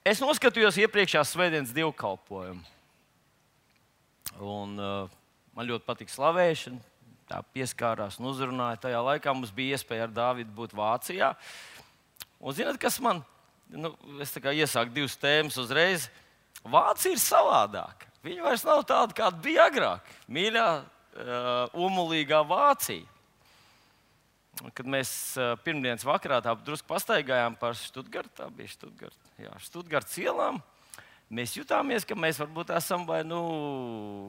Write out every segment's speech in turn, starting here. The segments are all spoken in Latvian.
Es noskatījos iepriekšējās svētdienas dievkalpojumu. Un, man ļoti patīk slavēšana. Tā pieskārās un uzrunāja. Tajā laikā mums bija iespēja ar Dāvidu būt Vācijā. Un zināt, kas man? Es iesāku divas tēmas uzreiz. Vācija ir savādāka. Viņa vairs nav tāda, kāda bija agrāk. Mīļā, umulīgā Vācija. Kad mēs pirmdienas vakarā tā drusku pastaigājām par Štutgartu, Štutgartas ielām, mēs jutāmies, ka mēs varbūt esam vai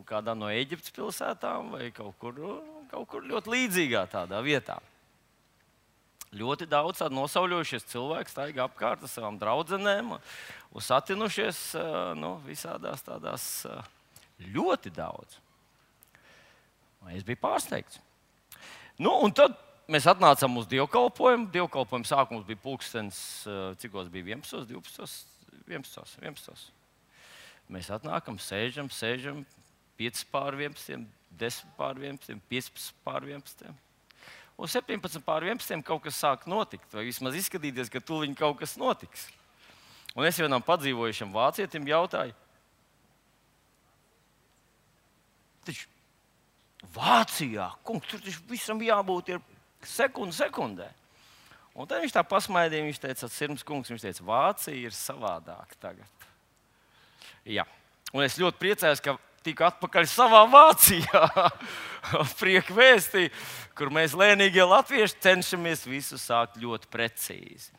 kādā no Ēģiptes pilsētām vai kaut kur ļoti līdzīgā tādā vietā. Ļoti daudz nosauļojušies cilvēki staigā apkārt ar savām draudzenēm un satinušies visādās tādās ļoti daudz. Es biju pārsteigts. Un tad mēs atnācām uz dievkalpojumu. Dievkalpojuma sākums bija pulkstenis, cikos bija 11, 12, 11. Mēs atnākam, sēžam, 5:11, 10:11, 15:11. Un 17:11 kaut kas sāk notikt, vai vismaz izskatīties, ka tūlīt kaut kas notiks. Un es vienam padzīvojušam vācietim jautāju, taču Vācijā, kungs, tur taču visam jābūt ir sekundē. Un tad viņš tā pasmaidīja, viņš teica, Sirms kungs, viņš teica, Vācija ir savādāka tagad. Jā. Un es ļoti priecājos, ka tiku atpakaļ savā Vācijā. Prieku vēstī, kur mēs lēnīgie latvieši cenšamies visu sākt ļoti precīzi.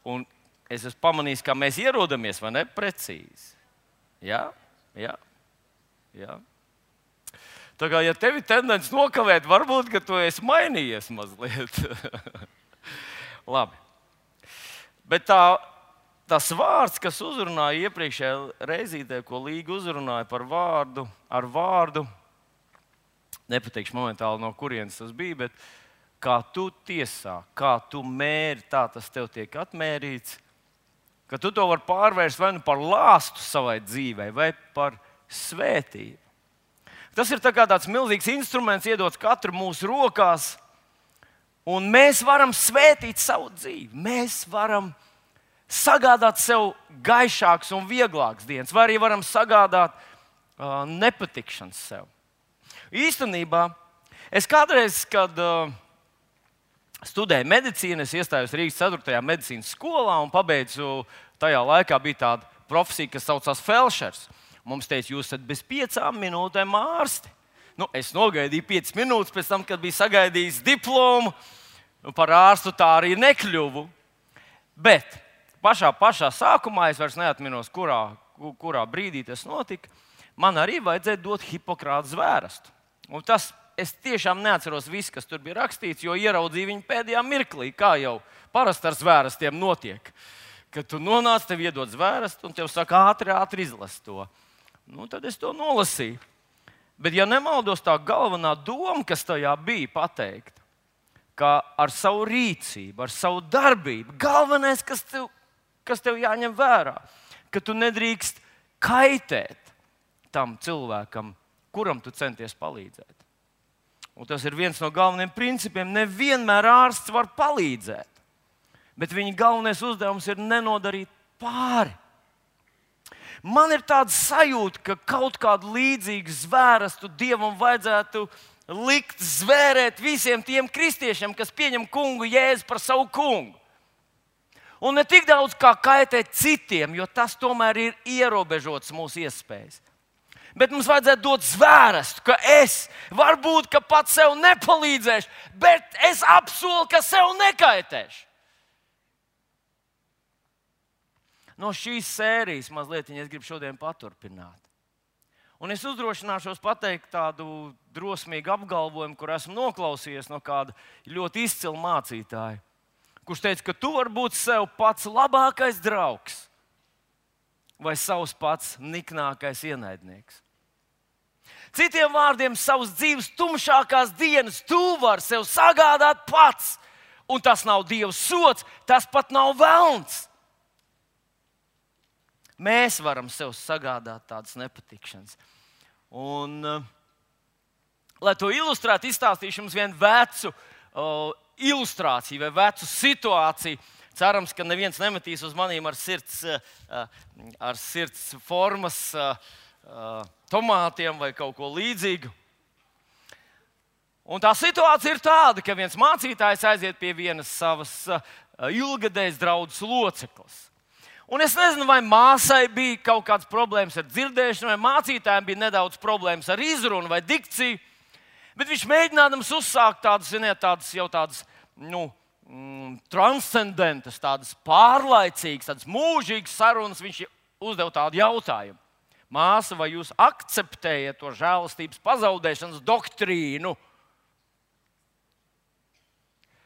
Un es esmu pamanījis, kā mēs ierodamies, vai ne, precīzi. Jā. Tā kā, ja tev ir tendence nokavēt, varbūt, ka tu esi mainījies mazliet. Labi. Bet tas vārds, kas uzrunāja iepriekšējā reizītē, ko Līga uzrunāja par vārdu, ar vārdu, nepateikšu momentāli, no kurienes tas bija, bet kā tu tiesā, kā tu mēri, tā tas tev tiek atmērīts, ka tu to vari pārvērst vai nu par lāstu savai dzīvei, vai par svētību. Tas ir tāds milzīgs instruments, iedots katru mūsu rokās, un mēs varam svētīt savu dzīvi. Mēs varam sagādāt sev gaišākas un vieglākas dienas, vai arī varam sagādāt nepatikšanas sev. Īstenībā, es kādreiz, kad studēju medicīnu, es iestājos Rīgas 4. medicīnas skolā un pabeidzu, tajā laikā bija tāda profesija, kas saucās felšers. Mums teica, jūs esat bez 5 minūtēm ārsti. Es nogaidīju 5 minūtes pēc tam, kad biju sagaidījis diplomu. Par ārstu tā arī nekļuvu. Bet pašā sākumā, es vairs neatminos, kurā brīdī tas notika, man arī vajadzēja dot Hipokrata zvērestu. Un tas, es tiešām neatceros visu, kas tur bija rakstīts, jo ieraudzīju viņu pēdējā mirklī, kā jau parasti ar zvērestiem notiek. Kad tu nonāc, tev iedod zvērestu un tev saka ātri izlasi to. Tad es to nolasīju. Bet, ja nemaldos, tā galvenā doma, kas tajā bija pateikta, ka ar savu rīcību, ar savu darbību, galvenais, kas tev jāņem vērā, ka tu nedrīkst kaitēt tam cilvēkam, kuram tu centies palīdzēt. Un tas ir viens no galvenajiem principiem. Nevienmēr ārsts var palīdzēt, bet viņa galvenais uzdevums ir nenodarīt pāri. Man ir tāda sajūta, ka kaut kādu līdzīgu zvērestu Dievam vajadzētu likt zvērēt visiem tiem kristiešiem, kas pieņem kungu Jēzu par savu kungu. Un ne tik daudz kā kaitēt citiem, jo tas tomēr ir ierobežots mūsu iespējas. Bet mums vajadzētu dot zvērestu, ka es varbūt pats sev nepalīdzēšu, bet es apsolu, ka sev nekaitēšu. No šīs sērijas mazliet es gribu šodien paturpināt. Un es uzdrošināšos pateikt tādu drosmīgu apgalvojumu, kur esmu noklausījies no kāda ļoti izcila mācītāja, kurš teica, ka tu vari būt sev pats labākais draugs vai savs pats niknākais ienaidnieks. Citiem vārdiem, savas dzīves tumšākās dienas tu vari sev sagādāt pats, un tas nav Dieva sods, tas pat nav velns. Mēs varam sev sagādāt tādas nepatikšanas. Un, lai to ilustrētu, izstāstīšu jums vienu vecu ilustrāciju vai vecu situāciju. Cerams, ka neviens nemetīs uz maniem ar sirds formas tomātiem vai kaut ko līdzīgu. Un tā situācija ir tāda, ka viens mācītājs aiziet pie vienas savas ilgadējas draudzes locekles. Un es nezinu, vai māsai bija kaut kādas problēmas ar dzirdēšanu, vai mācītājiem bija nedaudz problēmas ar izrunu vai dikciju. Bet viņš mēģinādams uzsākt tādas transcendentas, tādas pārlaicīgas, tādas mūžīgas sarunas. Viņš uzdeva tādu jautājumu. Māsa, vai jūs akceptējat to žēlastības pazaudēšanas doktrīnu?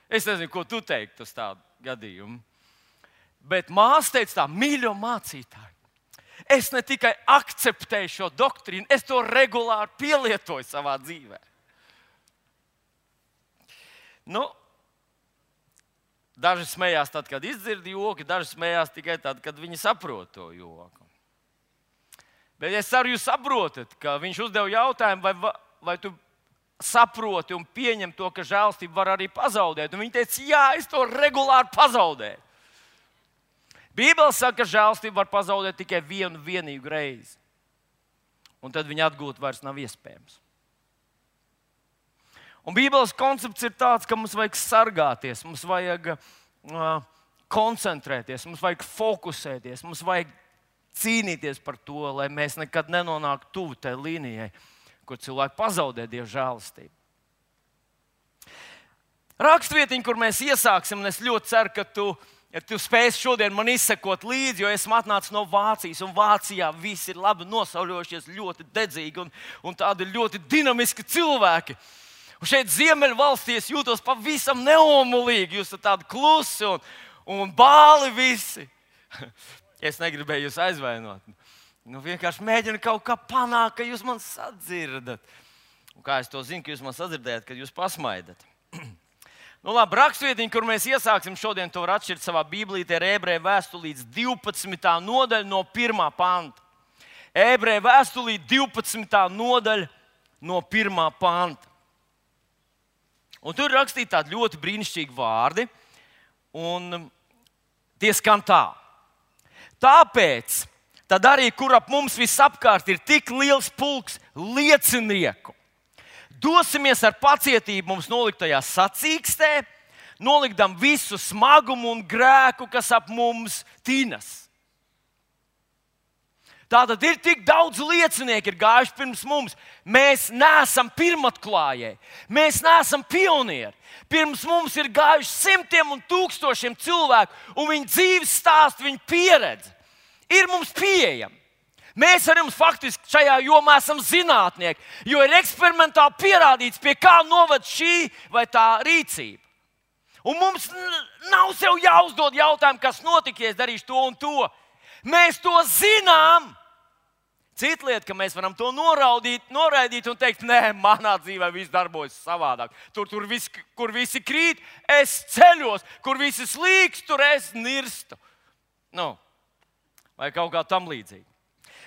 Es nezinu, ko tu teiktu uz tādu gadījumu. Bet māsa teica tā: mīļo mācītāji, es ne tikai akceptēju šo doktrīnu, es to regulāri pielietoju savā dzīvē. Daži smējās tad, kad izdzird joku, daži smējās tikai tad, kad viņi saprot to joku. Bet es ceru, jūs saprotat, ka viņš uzdeva jautājumu, vai tu saproti un pieņem to, ka žēlastību var arī pazaudēt. Un viņi teica, jā, es to regulāri pazaudēju. Bībele saka, ka žēlastību var pazaudēt tikai vienu vienīgu reizi. Un tad viņu atgūt vairs nav iespējams. Un Bībeles koncepts ir tāds, ka mums vajag sargāties, mums vajag koncentrēties, mums vajag fokusēties, mums vajag cīnīties par to, lai mēs nekad nenonāktu tuvu tai līnijai, kur cilvēki pazaudē Dieva žēlastību. Rakstvietiņa, kur mēs iesāksim, un es ļoti ceru, ka tu spēsi šodien man izsekot līdzi, jo esmu atnācis no Vācijas, un Vācijā visi ir labi nosauļojušies, ļoti dedzīgi, un tādi ļoti dinamiski cilvēki. Un šeit Ziemeļvalstīs jūtos pavisam neomulīgi, jūs esat tādi klusi un bāli visi. Es negribēju jūs aizvainot. Vienkārši mēģinu kaut kā panākt, ka jūs man sadzirdat. Un kā es to zinu, ka jūs man sadzirdējat, kad jūs pasmaidat? Labi, rakstvietiņa, kur mēs iesāksim šodien, to var atšķirt savā Bībelītē, ir Ebreju vēstulītes 12. nodaļa no 1. panta. Ebreju vēstulīte 12. nodaļa no 1. panta. Un tur ir rakstīti tādi ļoti brīnišķīgi vārdi, un tie skan tā. Tāpēc tad arī, kur ap mums visapkārt ir tik liels pulks liecinieku, dosimies ar pacietību mums noliktajā sacīkstē, nolikdam visu smagumu un grēku, kas ap mums tinas. Tātad ir tik daudz liecinieku, ir gājuši pirms mums. Mēs neesam pirmatklājēji, mēs neesam pionieri. Pirms mums ir gājuši simtiem un tūkstošiem cilvēku, un viņu dzīves stāsti, viņu pieredze ir mums pieejama. Mēs ar jums faktiski šajā jomā esam zinātnieki, jo ir eksperimentāli pierādīts, pie kā noved šī vai tā rīcība. Un mums nav sev jāuzdod jautājumu, kas notiks, ja es darīšu to un to. Mēs to zinām. Cita lieta, ka mēs varam to noraidīt un teikt, nē, manā dzīvē viss darbojas savādāk. Kur visi krīt, es ceļos, kur visi slīkst, tur es nirstu. Vai kaut kā tam līdzīga.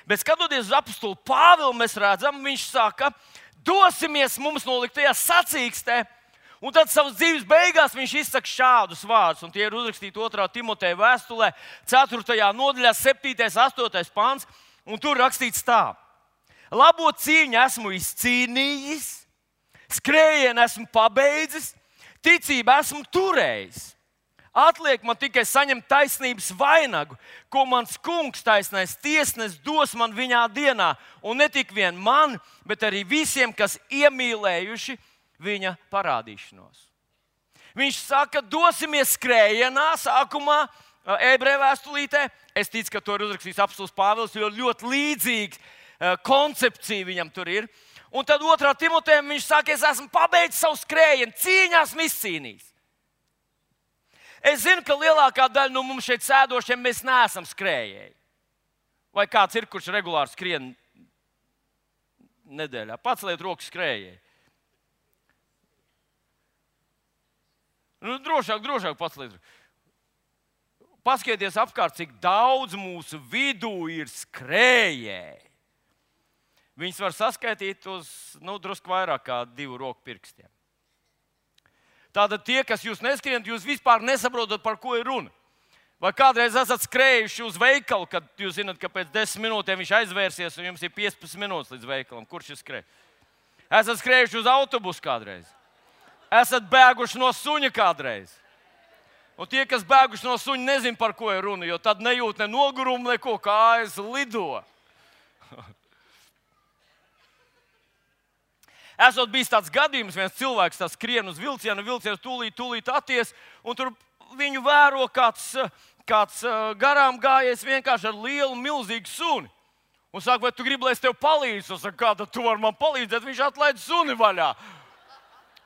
Bet skatoties uz apostulu Pāvilu, mēs redzam, viņš saka, dosimies mums noliktajā sacīkstē. Un tad savas dzīves beigās viņš izsaka šādus vārdus, un tie ir uzrakstīti 2. Timoteja vēstulē, 4. nodaļā, 7. 8. pāns. Un tur rakstīts tā: labo cīņu esmu izcīnījis, skrējienu esmu pabeidzis, ticību esmu turējis. Atliek man tikai saņemt taisnības vainagu, ko mans kungs, taisnais tiesnesis, dos man viņā dienā. Un ne tik vien man, bet arī visiem, kas iemīlējuši viņa parādīšanos. Viņš saka, dosimies skrējienā sākumā, Ebreju vēstulītē. Es ticu, ka to ir uzrakstījis apostols Pāvils, jo ļoti līdzīga koncepcija viņam tur ir. Un tad 2. Timotejam viņš saka, es esmu pabeidzis savu skrējienu, cīņā esmu izcīnījis. Es zinu, ka lielākā daļa no mums šeit sēdošiem mēs neesam skrējēji. Vai kāds ir, kurš regulāri skrien nedēļā? Paceliet rokas skrējēji. Drošāk paceliet. Paskatieties apkārt, cik daudz mūsu vidū ir skrējēji. Viņus var saskaitīt uz drusku vairāk kā 2 roku pirkstiem. Tātad tie, kas jūs neskrienat, jūs vispār nesaprotat, par ko ir runa. Vai kādreiz esat skrējuši uz veikalu, kad jūs zināt, ka pēc 10 minūtēm viņš aizvērsies un jums ir 15 minūtes līdz veikalam? Kurš ir skrējis? Esat skrējuši uz autobusu kādreiz? Esat bēguši no suņa kādreiz? Un tie, kas bēguši no suņa, nezin, par ko ir runa, jo tad nejūt ne nogurumu, neko, kājas lido. Esot bijis tāds gadījums, viens cilvēks skrien uz vilcienu, vilciens tūlīt atties, un tur viņu vēro kāds garām gājies vienkārši ar lielu, milzīgu suni. Un saka, vai tu gribi, lai es tev palīdzu? Un saka, kā tad tu vari man palīdzēt? Viņš atlaid suni vaļā.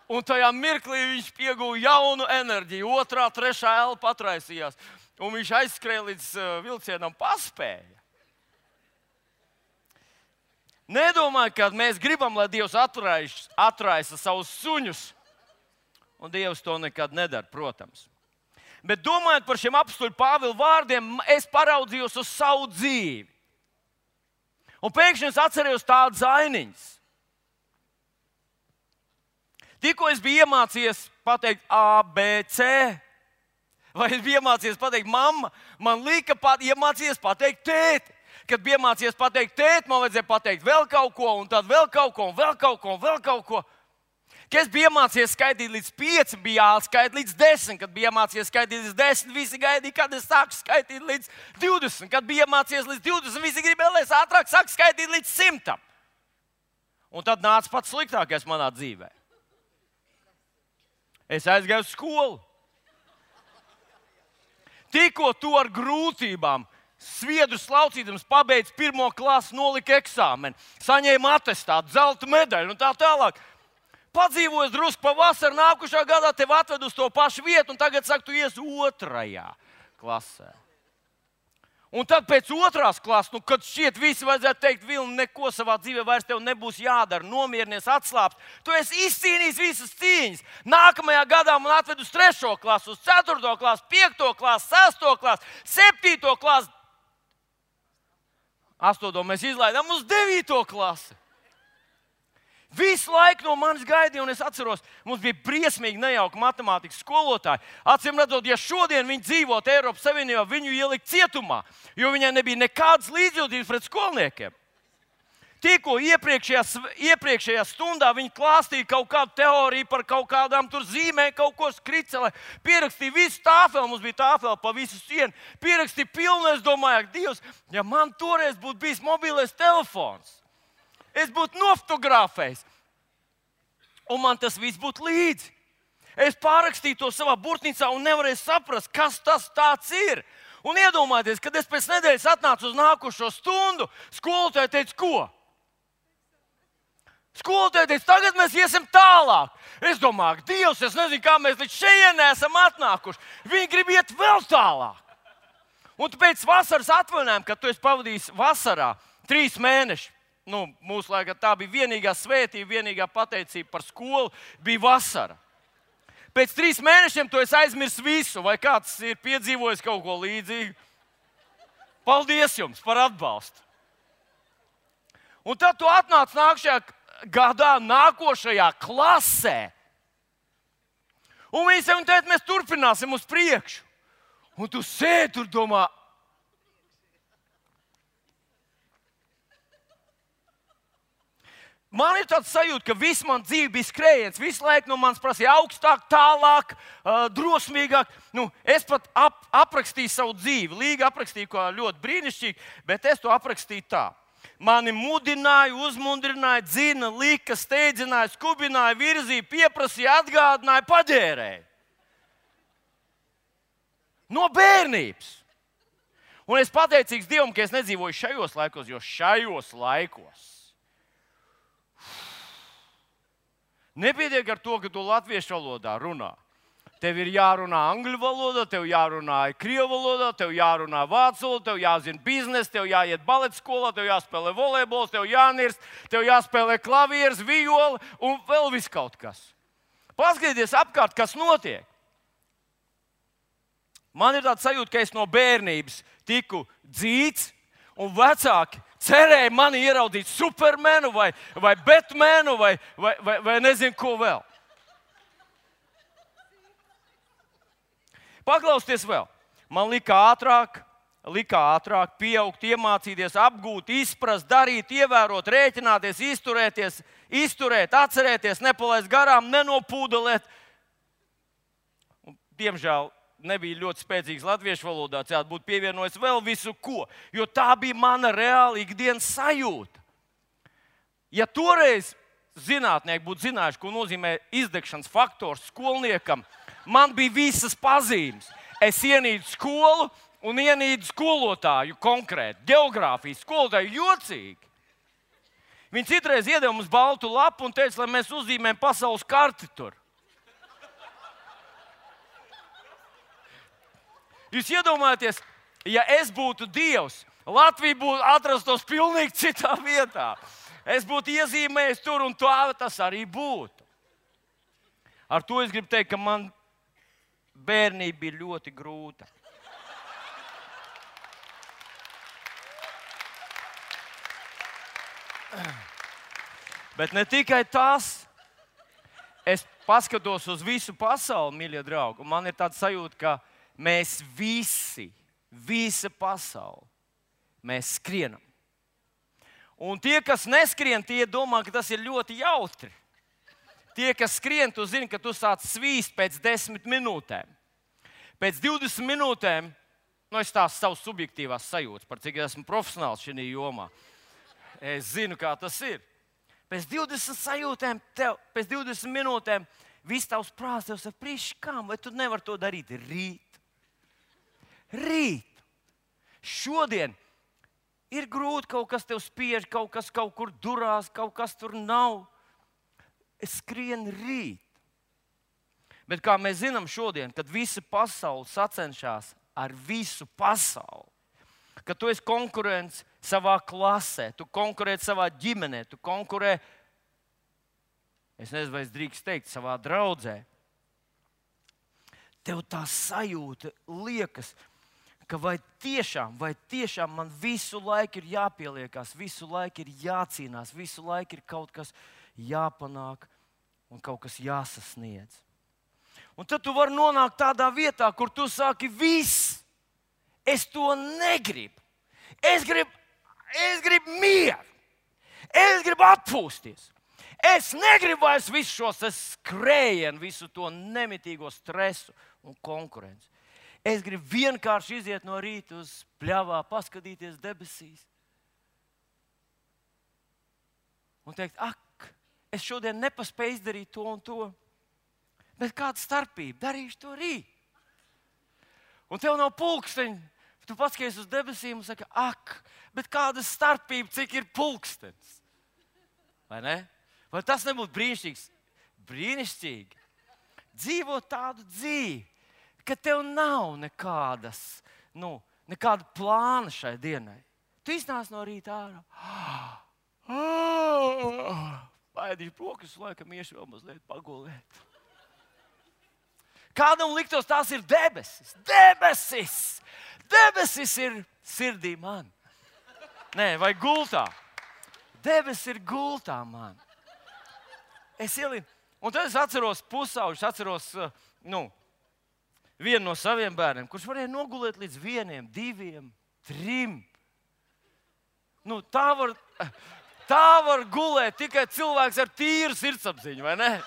Un tajā mirklī viņš pieguva jaunu enerģiju. 2., 3. elpa atraisījās. Un viņš aizskrēja līdz vilcienam, paspēja. Nedomāju, ka mēs gribam, lai Dievs atraisa savus suņus. Un Dievs to nekad nedara, protams. Bet domājot par šiem apstuļu Pāvila vārdiem, es paraudzījos uz savu dzīvi. Un pēkšņi es atcerējos tādas ainiņas. Tikko es biju iemācījies pateikt A, B, C, vai es biju iemācījies pateikt mamma, man lika iemācījies pateikt tēti. Kad bija iemācījies pateikt tēti, man vajadzēja pateikt vēl kaut ko, un tad vēl kaut ko, un vēl kaut ko, un vēl kaut ko. Kad es biju iemācījies skaitīt līdz 5, bija jāskaita līdz 10. Kad biju iemācījies skaitīt līdz 10, visi gaidīja, kad es sāku skaitīt līdz 20. Kad biju iemācījies līdz 20, visi gribēja, lai es ātrāk sāku skaitīt līdz 100. Un tad nāca pats sliktākais manā dzīvē. Es aizgāju uz skolu. Tikko tu ar grūtībām, sviedru slaucīdams, pabeidz 1. klasi, nolika eksāmeni, saņēma atestātu, zelta medaļu un tā tālāk. Padzīvojis drusku pa vasaru, nākušā gadā tev atved uz to pašu vietu, un tagad saka, tu ies 2. klasē. Un tad pēc 2. klases, kad šķiet visi vajadzētu teikt, Vilni, neko savā dzīvē vairs tev nebūs jādara, nomierinies, atslābst. Tu esi izcīnījis visas cīņas. Nākamajā gadā man atved uz 3. klasu, uz 4. klasu, 5. klasu, 6. klasu, 7. klasu. 8. mēs izlaidām uz 9. klasi. Visu laiku no manis gaidīja, un es atceros, mums bija briesmīgi nejauka matemātikas skolotāja. Acīm redzot, ja šodien viņi dzīvotu Eiropas Savienībā, viņu ielikt cietumā, jo viņai nebija nekādas līdzjūtības pret skolniekiem. Tikko iepriekšējā stundā viņi klāstīja kaut kādu teoriju par kaut kādām tur zīmēm, kaut ko skricelē, pierakstīja visu tāfeli, mums bija tāfeli pa visu sienu, pierakstīja pilnu, es domāju, ak, Dievs, ja man toreiz būtu bijis mobilais telefons, es būtu nofotografējis, un man tas viss būtu līdzi. Es pārakstīju to savā burtnīcā un nevarēju saprast, kas tas tāds ir. Un iedomājieties, kad es pēc nedēļas atnācu uz nākošo stundu, skolotāja teica, ko? Skolotāja teica, tagad mēs iesim tālāk. Es domāju, Dievs, es nezinu, kā mēs līdz šejienē esam atnākuši. Viņi grib iet vēl tālāk. Un pēc vasaras atvaļinājuma, kad tu esi pavadījis vasarā 3 mēnešus, mūsu laikā tā bija vienīgā svētība, vienīgā pateicība par skolu, bija vasara. Pēc 3 mēnešiem tu esi aizmirsis visu, vai kāds ir piedzīvojis kaut ko līdzīgu. Paldies jums par atbalstu. Un tad tu atnāc nākamajā gadā, nākošajā klasē. Un viņi teica, mēs turpināsim uz priekšu. Un tu sēdi tur domā, man ir tāds sajūta, ka viss man dzīve bija skrējiens. Visu laiku no manis prasīja augstāk, tālāk, drosmīgāk. Es pat aprakstīju savu dzīvi. Līga aprakstīju kā ļoti brīnišķīgi, bet es to aprakstīju tā. Mani mudināja, uzmundrināja, dzina, lika, steidzināja, skubināja, virzīja, pieprasīja, atgādināja, paģērēja. No bērnības. Un es pateicīgs Dievam, ka es nedzīvoju šajos laikos, jo šajos laikos nepietiek ar to, ka tu latviešu valodā runā. Tev ir jārunā angļu valodā, tev jārunā krievu valodā, tev jārunā vācu valodā, tev jāzina biznesa, tev jāiet baleta skolā, tev jāspēlē volejbols, tev jānirst, tev jāspēlē klavieres, viola un vēl viss kaut kas. Paskatieties apkārt, kas notiek. Man ir tāds sajūta, ka es no bērnības tiku dzīts un vecāki cerēja mani ieraudzīt Supermanu vai Batmanu vai nezinu ko vēl. Paklausieties vēl. Man lika ātrāk pieaugt, iemācīties, apgūt, izprast, darīt, ievērot, rēķināties, izturēt, atcerēties, nepalaist garām, nenopūdelēt. Un, diemžēl nebija ļoti spēcīgs latviešu valodā, tātad būtu pievienojis vēl visu ko, jo tā bija mana reāla ikdienas sajūta. Ja toreiz zinātnieki būtu zinājuši, ko nozīmē izdegšanas faktors skolniekam, man bija visas pazīmes. Es ienīdu skolu un ienīdu skolotāju konkrēti, geogrāfijas skolotāju jocīgi. Viņi citreiz iedeva mums baltu lapu un teica, lai mēs uzzīmējam pasaules karti tur. Jūs iedomājaties, ja es būtu Dievs, Latvija būtu atrastos pilnīgi citā vietā. Es būtu iezīmējis tur un tā tas arī būtu. Ar to es gribu teikt, ka man bērnība bija ļoti grūta. Bet ne tikai tas. Es paskatos uz visu pasauli, mīļie draugi, un man ir tāda sajūta, ka mēs visa pasaule, mēs skrienam. Un tie, kas neskrien, tie domā, ka tas ir ļoti jautri. Tie, kas skrien, tu zini, ka tu sāc svīst pēc 10 minūtēm. Pēc 20 minūtēm, es tās savas subjektīvās sajūtas, par cik esmu profesionāls šajā jomā. Es zinu, kā tas ir. Pēc 20 minūtēm viss tavs prāts tev saka, priekškām, vai tu nevari to darīt rīt. Šodien ir grūti, kaut kas tev spiež, kaut kas kaut kur durās, kaut kas tur nav. Es skrienu rīt. Bet kā mēs zinām šodien, kad visa pasaule sacenšas ar visu pasauli, ka tu esi konkurents savā klasē, tu konkurē savā ģimenē, tu konkurē, es nezinu, vai es drīkst teikt, savā draudzē. Tev tā sajūta liekas, ka vai tiešām man visu laiku ir jāpieliekās, visu laiku ir jācīnās, visu laiku ir kaut kas jāpanāk un kaut kas jāsasniedz. Un tad tu vari nonākt tādā vietā, kur tu saki, viss, es to negribu. Es gribu mieru. Es gribu atpūsties. Es negribu vairs visu šos skrējienu, visu to nemitīgo stresu un konkurenci. Es gribu vienkārši iziet no rīta uz pļavā, paskatīties debesīs. Un teikt, es šodien nepaspēju izdarīt to un to. Bet kāda starpība? Darīšu to rīt. Un tev nav pulksteņa. Tu paskaties uz debesīm un saki, bet kāda starpība, cik ir pulkstenis? Vai ne? Vai tas nebūtu brīnišķīgs? Brīnišķīgi. Dzīvot tādu dzīvi, ka tev nav nekāda plāna šai dienai. Tu iznāc no rīta ārā. Paēdīšu brokastis, laikam iešu vēl mazliet pagulēt. Kādam liktos, tās ir debesis. Debesis ir sirdī man. Nē, vai gultā. Debesis ir gultā man. Es ielinu. Un tad es atceros pusauģus, vienu no saviem bērniem, kurš varēja nogulēt līdz 1, 2, 3. Tā var gulēt tikai cilvēks ar tīru sirdsapziņu, vai ne?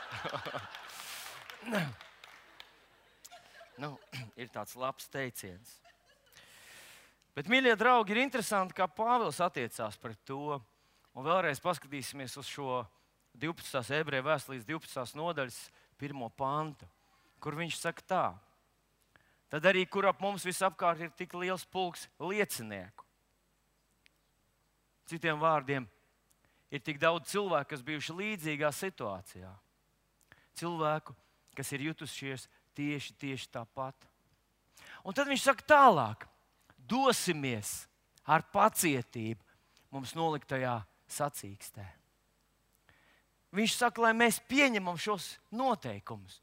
Ir tāds labs teiciens. Bet, mīļie draugi, ir interesanti, kā Pāvils attiecās pret to. Un vēlreiz paskatīsimies uz šo 12. ebreju vēstules 12. nodaļas 1. pantu, kur viņš saka tā. Tad arī, kur ap mums visapkārt ir tik liels pulks liecinieku. Citiem vārdiem, ir tik daudz cilvēku, kas bijuši līdzīgā situācijā. Cilvēku, kas ir jutušies tieši tāpat. Un tad viņš saka tālāk, dosimies ar pacietību mums noliktajā sacīkstē. Viņš saka, lai mēs pieņemam šos noteikumus,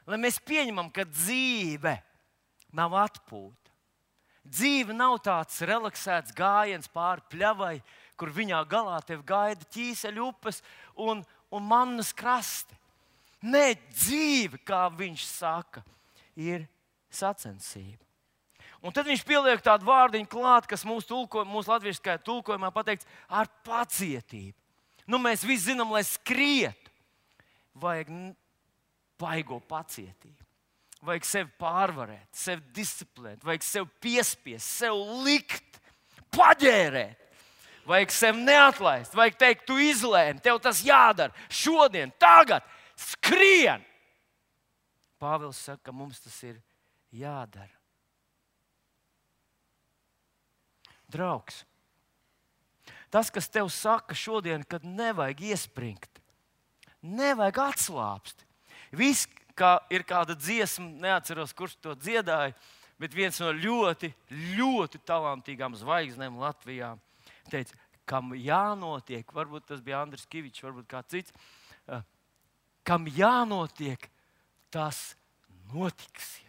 lai mēs pieņemam, ka dzīve nav atpūta. Dzīve nav tāds relaksēts gājiens pāri pļavai, kur viņā galā tev gaida ķīseļu upes un mannas krasti. Nē, dzīve, kā viņš saka, ir sacensība. Un tad viņš pieliek tādu vārdiņu klāt, kas mūsu latviešu tulkojumā pateikts ar pacietību. Nu, mēs visi zinām, lai skrietu, vajag baigo pacietību. Vajag sevi pārvarēt, sevi disciplinēt, vajag sevi piespiest, sevi likt, paģērēt. Vajag sevi neatlaist, vajag teikt, tu izlēmi, tev tas jādara šodien, tagad, skrien. Pāvils saka, ka mums tas ir jādara. Draugs, tas, kas tev saka šodien, kad nevajag iespringt, nevajag atslāpst. Viss, kā ir kāda dziesma, neatceros, kurš to dziedāja, bet viens no ļoti, ļoti talantīgām zvaigznēm Latvijā teica, kam jānotiek, varbūt tas bija Andris Kivičs, varbūt kāds cits, kam jānotiek, tas notiksies.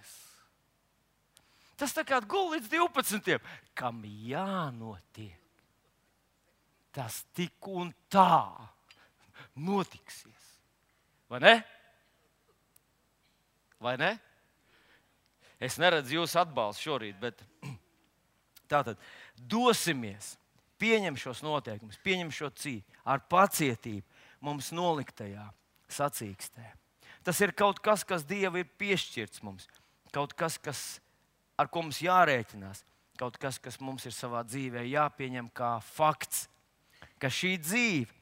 Tas tā kā gul līdz 12. Kam jānotiek, tas tik un tā notiksies. Vai ne? Vai ne? Es neredzu jūsu atbalstu šorīt, bet tātad dosimies, pieņem šos noteikumus, pieņem šo cīņu ar pacietību mums noliktajā sacīkstē. Tas ir kaut kas, kas Dievam ir piešķirts mums, kaut kas, ar ko mums jārēķinās, kaut kas, kas mums ir savā dzīvē jāpieņem kā fakts, ka šī dzīve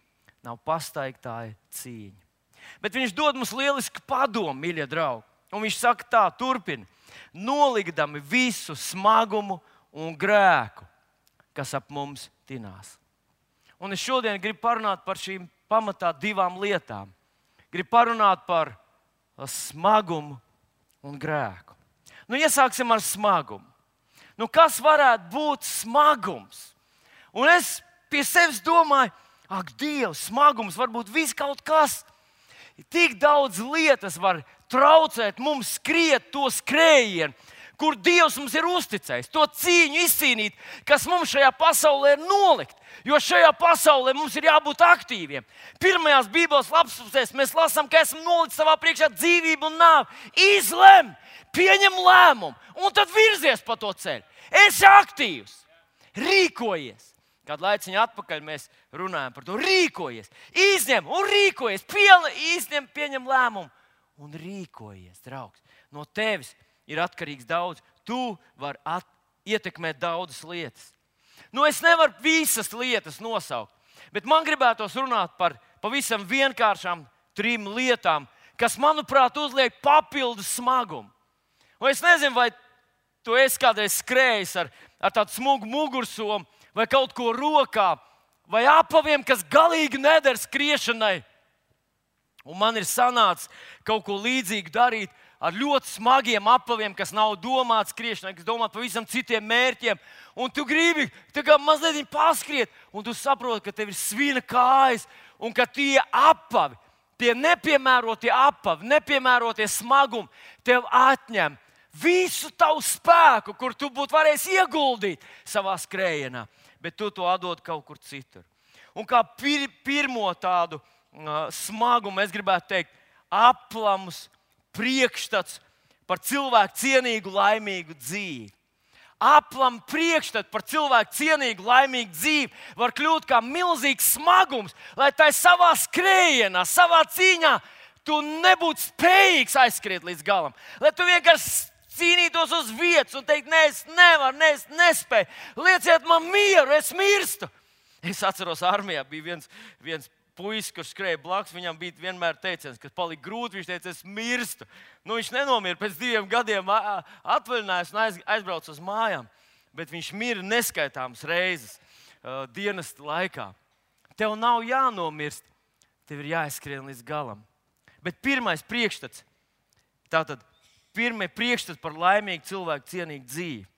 nav pastaigtāja cīņa. Bet viņš dod mums lielisku padomu, mīļie draugi. Un viņš saka tā, turpina, nolikdami visu smagumu un grēku, kas ap mums tinās. Un es šodien gribu parunāt par šīm pamatā divām lietām. Gribu parunāt par smagumu un grēku. Nu, iesāksim ar smagumu. Nu, kas varētu būt smagums? Un es pie sevis domāju, ak, Dievs, smagums var būt viss kaut kas. Tik daudz lietas var traucēt mums skriet to skrējienu, kur Dievs mums ir uzticējis, to cīņu izcīnīt, kas mums šajā pasaulē ir nolikt. Jo šajā pasaulē mums ir jābūt aktīviem. Pirmajās Bībeles lapusēs mēs lasām, ka esam nolikt savā priekšā dzīvību un nāvi. Izlem, pieņem lēmumu un tad virzies pa to ceļu. Esi aktīvs, rīkojies. Kādu laiciņu atpakaļ mēs runājam par to. Rīkojies, izņem un rīkojies, izņem, pieņem lēmumu un rīkojies, draugs. No tevis ir atkarīgs daudz. Tu vari ietekmēt daudzas lietas. Nu, es nevaru visas lietas nosaukt, bet man gribētos runāt par pavisam vienkāršām 3 lietām, kas, manuprāt, uzliek papildus smagumu. Un es nezinu, vai tu esi kādreiz skrējis ar tādu smagu mugursomu, vai kaut ko rokā, vai apaviem, kas galīgi neder skriešanai. Un man ir sanācis kaut ko līdzīgu darīt ar ļoti smagiem apaviem, kas nav domāti skriešanai, kas domāti pavisam citiem mērķiem. Un tu gribi mazliet paskriet, un tu saproti, ka tev ir svina kājas, un ka tie apavi, tie nepiemērotie apavi, nepiemērotie smagumi tev atņem visu tavu spēku, kur tu būtu varējis ieguldīt savā skrējienā, bet tu to atdod kaut kur citur. Un kā pirmo tādu smagumu es gribētu teikt, aplams priekšstats par cilvēku cienīgu, laimīgu dzīvi. Aplam priekšstats par cilvēku cienīgu, laimīgu dzīvi var kļūt kā milzīgs smagums, lai tai savā skrējienā, savā cīņā tu nebūtu spējīgs aizskriet līdz galam. Lai tu vienkārši cīnītos uz vietas un teikt, nē, es nevaru, nē, es nespēju. Lieciet man mieru, es mirstu. Es atceros, armijā bija viens puisis, kurš skrēja blakus, viņam bija vienmēr teiciens, kas palika grūti, viņš teica, es mirstu. Nu, viņš nenomira pēc 2 gadiem atvaļinājās un aizbrauca uz mājām, bet viņš mira neskaitāmas reizes dienesta laikā. Tev nav jānomirst, tev ir jāizskrien līdz galam. Bet pirmais priekšstats, tātad pirmie priekšstats par laimīgu cilvēku cienīgu dzīvi.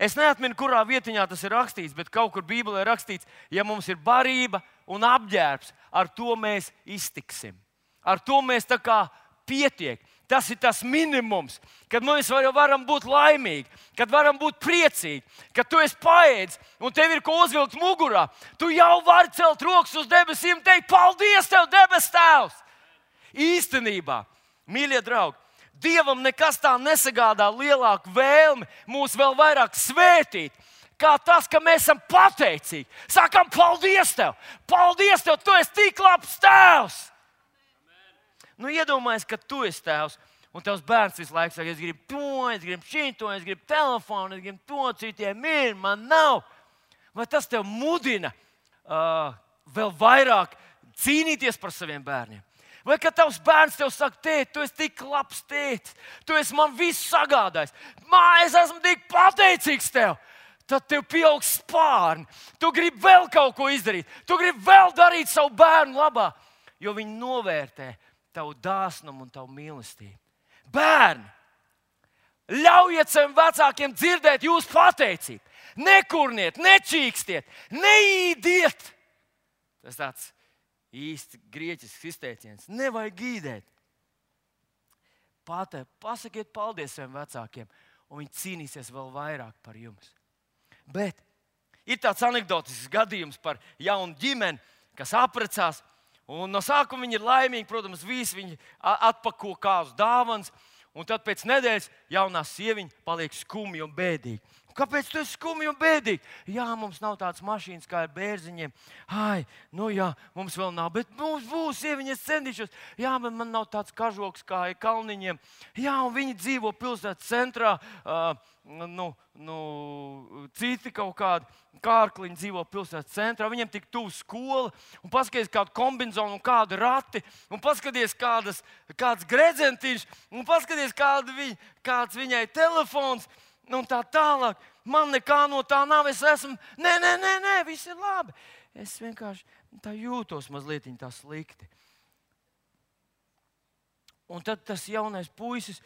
Es neatminu, kurā vietiņā tas ir rakstīts, bet kaut kur Bībelē ir rakstīts, ja mums ir barība un apģērbs, ar to mēs iztiksim. Ar to mēs tā kā pietiek. Tas ir tas minimums, kad mēs varam būt laimīgi, kad varam būt priecīgi, kad tu esi paēdis un tev ir ko uzvilkt mugurā. Tu jau vari celt rokas uz debesīm un teikt, paldies tev, debes Tēvs! Īstenībā, mīļie draugi, Dievam nekas tā nesagādā lielāku vēlmi mūs vēl vairāk svētīt, kā tas, ka mēs esam pateicīgi. Sākam, paldies Tev! Paldies Tev! Tu esi tik labs Tēvs! Nu, iedomājies, ka Tu esi Tēvs, un Tavs bērns visu laiku saka, es gribu to, es gribu šito, es gribu telefonu, es gribu to, citiem ir, man nav. Vai tas Tev mudina vēl vairāk cīnīties par saviem bērniem? Vai kad tavs bērns tev saka, tēt, tu esi tik labs tētis, tu esi man visu sagādājis, es esmu tik pateicīgs tev, tad tev pieaug spārni, tu gribi vēl kaut ko izdarīt, tu gribi vēl darīt savu bērnu labā, jo viņi novērtē tavu dāsnumu un tavu mīlestību. Bērni, ļaujiet saviem vecākiem dzirdēt jūsu pateicību. Nekurniet, nečīkstiet, neīdiet. Tas tāds īsti grieķisks izteiciens. Nevajag gīdēt. Pasakiet paldies saviem vecākiem, un viņi cīnīsies vēl vairāk par jums. Bet ir tāds anekdotisks gadījums par jaunu ģimeni, kas apprecās. Un no sākuma viņi ir laimīgi, protams, visi viņi atpako kāzu dāvanas. Un tad pēc nedēļas jaunā sieviņa paliek skumja un bēdīga. Kāpēc tu esi skumji un bēdīgi? Jā, mums nav tādas mašīnas kā ar bērziņiem. Ai, nu jā, mums vēl nav, bet mums būs, sieviņa, es centīšos. Jā, bet man nav tāds kažoks kā ar kalniņiem. Jā, un viņi dzīvo pilsētas centrā. Citi kaut kādi kārkliņi dzīvo pilsētas centrā. Viņiem tik tuvu skola. Un paskaties kādu kombinzonu un kādu rati. Un paskaties kāds gredzentīšs. Un paskaties kāds viņai telefons. Un tā tālāk, man nekā no tā nav, es esmu, nē, viss ir labi. Es vienkārši tā jūtos mazliet tā slikti. Un tad tas jaunais puisis,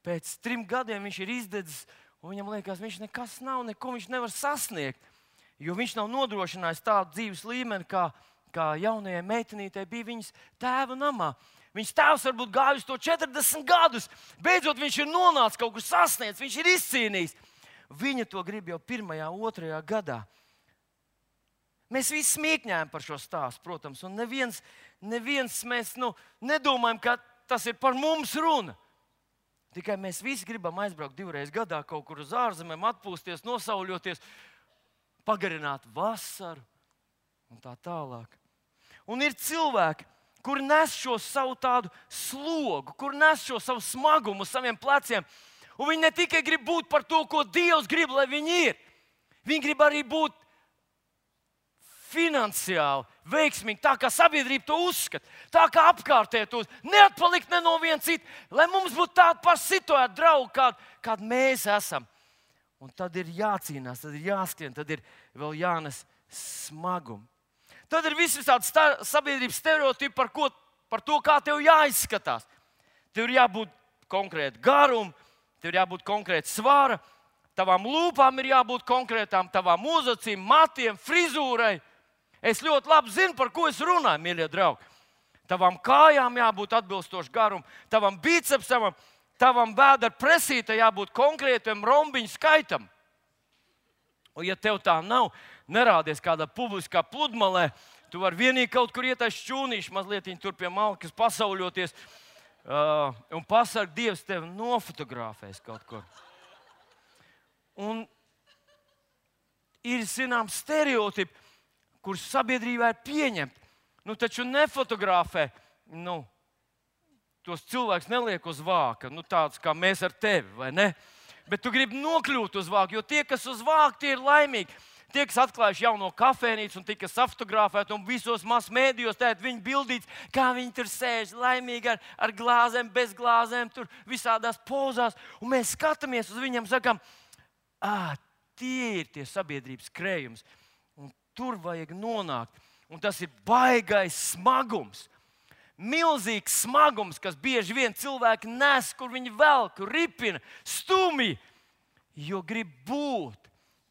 pēc 3 gadiem viņš ir izdedzis, un viņam liekas, viņš nekas nav, neko viņš nevar sasniegt, jo viņš nav nodrošinājis tādu dzīves līmeni, kā jaunajai meitenītei bija viņas tēva namā. Viņas tēvs varbūt gājis to 40 gadus. Beidzot, viņš ir nonācis kaut kur sasniedzis, viņš ir izcīnījis. Viņa to grib jau 1., 2. gadā. Mēs visi smīkņājam par šo stāstu, protams, un neviens mēs nedomājam, ka tas ir par mums runa. Tikai mēs visi gribam aizbraukt 2 reizes gadā kaut kur uz ārzemēm, atpūsties, nosauļoties, pagarināt vasaru un tā tālāk. Un ir cilvēki, kur nes šo savu tādu slogu, kur nes šo savu smagumu uz saviem pleciem. Un viņi ne tikai grib būt par to, ko Dievs grib, lai viņi ir. Viņi grib arī būt finansiāli veiksmīgi, tā kā sabiedrība to uzskata, tā kā apkārtēji to neatpalikt ne no viena cita, lai mums būtu tāda paša situācija, draugi, kāda mēs esam. Un tad ir jācīnās, tad ir jāskrien, tad ir vēl jānes smagumi. Tad ir visi tādi sabiedrības stereotipi par to, kā tev jāizskatās. Tev ir jābūt konkrēti garumam, tev ir jābūt konkrēti svara, tavām lūpām ir jābūt konkrētām, tavām uzacīm, matiem, frizūrai. Es ļoti labi zinu, par ko es runāju, mīļie draugi. Tavām kājām jābūt atbilstoši garumam, tavam bicepsam, tavam bēdra presītai jābūt konkrētam rombiņu skaitam. Un ja tev tā nav, nerādies kādā publiskā pludmalē, tu vari vienīgi kaut kur iet aiz šķūnīšu, mazliet tur pie malkas pasauļoties, un pasarg, Dievs tevi nofotografēs kaut kur. Un ir, zināms, stereotipi, kurus sabiedrībā ir pieņemti. Taču nefotografē, tos cilvēks neliek uz vāka, tāds kā mēs ar tevi, vai ne? Bet tu gribi nokļūt uz vāku, jo tie, kas uz vāku, tie ir laimīgi. Tie, kas atklājuši jauno kafejnīcu un tika fotografēti un visos masmēdījos, tēt viņi bildīts, kā viņi tur sēž laimīgi ar glāzēm, bez glāzēm, tur visādās pozās. Un mēs skatāmies uz viņiem un sakām, tie ir tie sabiedrības krējums. Un tur vajag nonākt. Un tas ir baigais smagums. Milzīgs smagums, kas bieži vien cilvēki nes, kur viņi velk, ripina, stumj, jo grib būt,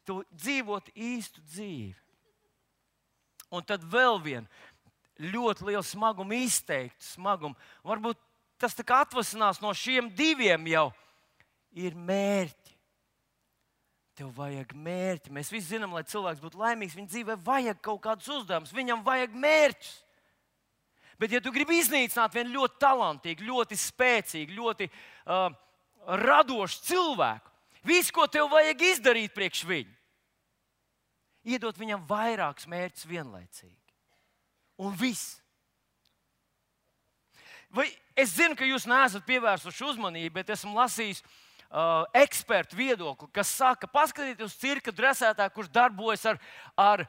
dzīvot īstu dzīvi. Un tad vēl viena ļoti liela smaguma, izteikta smaguma. Varbūt tas tā kā atvasinās no šiem 2 jau ir mērķi. Tev vajag mērķi. Mēs visi zinām, lai cilvēks būtu laimīgs, viņa dzīvē vajag kaut kādus uzdevumus, viņam vajag mērķus. Bet, ja tu gribi iznīcināt vienu ļoti talantīgu, ļoti spēcīgu, ļoti radošu cilvēku, viss, ko tev vajag izdarīt priekš viņu, iedot viņam vairākus mērķus vienlaicīgi. Un viss. Vai es zinu, ka jūs neesat pievērsuši uzmanību, bet esmu lasījis ekspertu viedokli, kas saka, paskatieties uz cirka dresētāju, kurš darbojas ar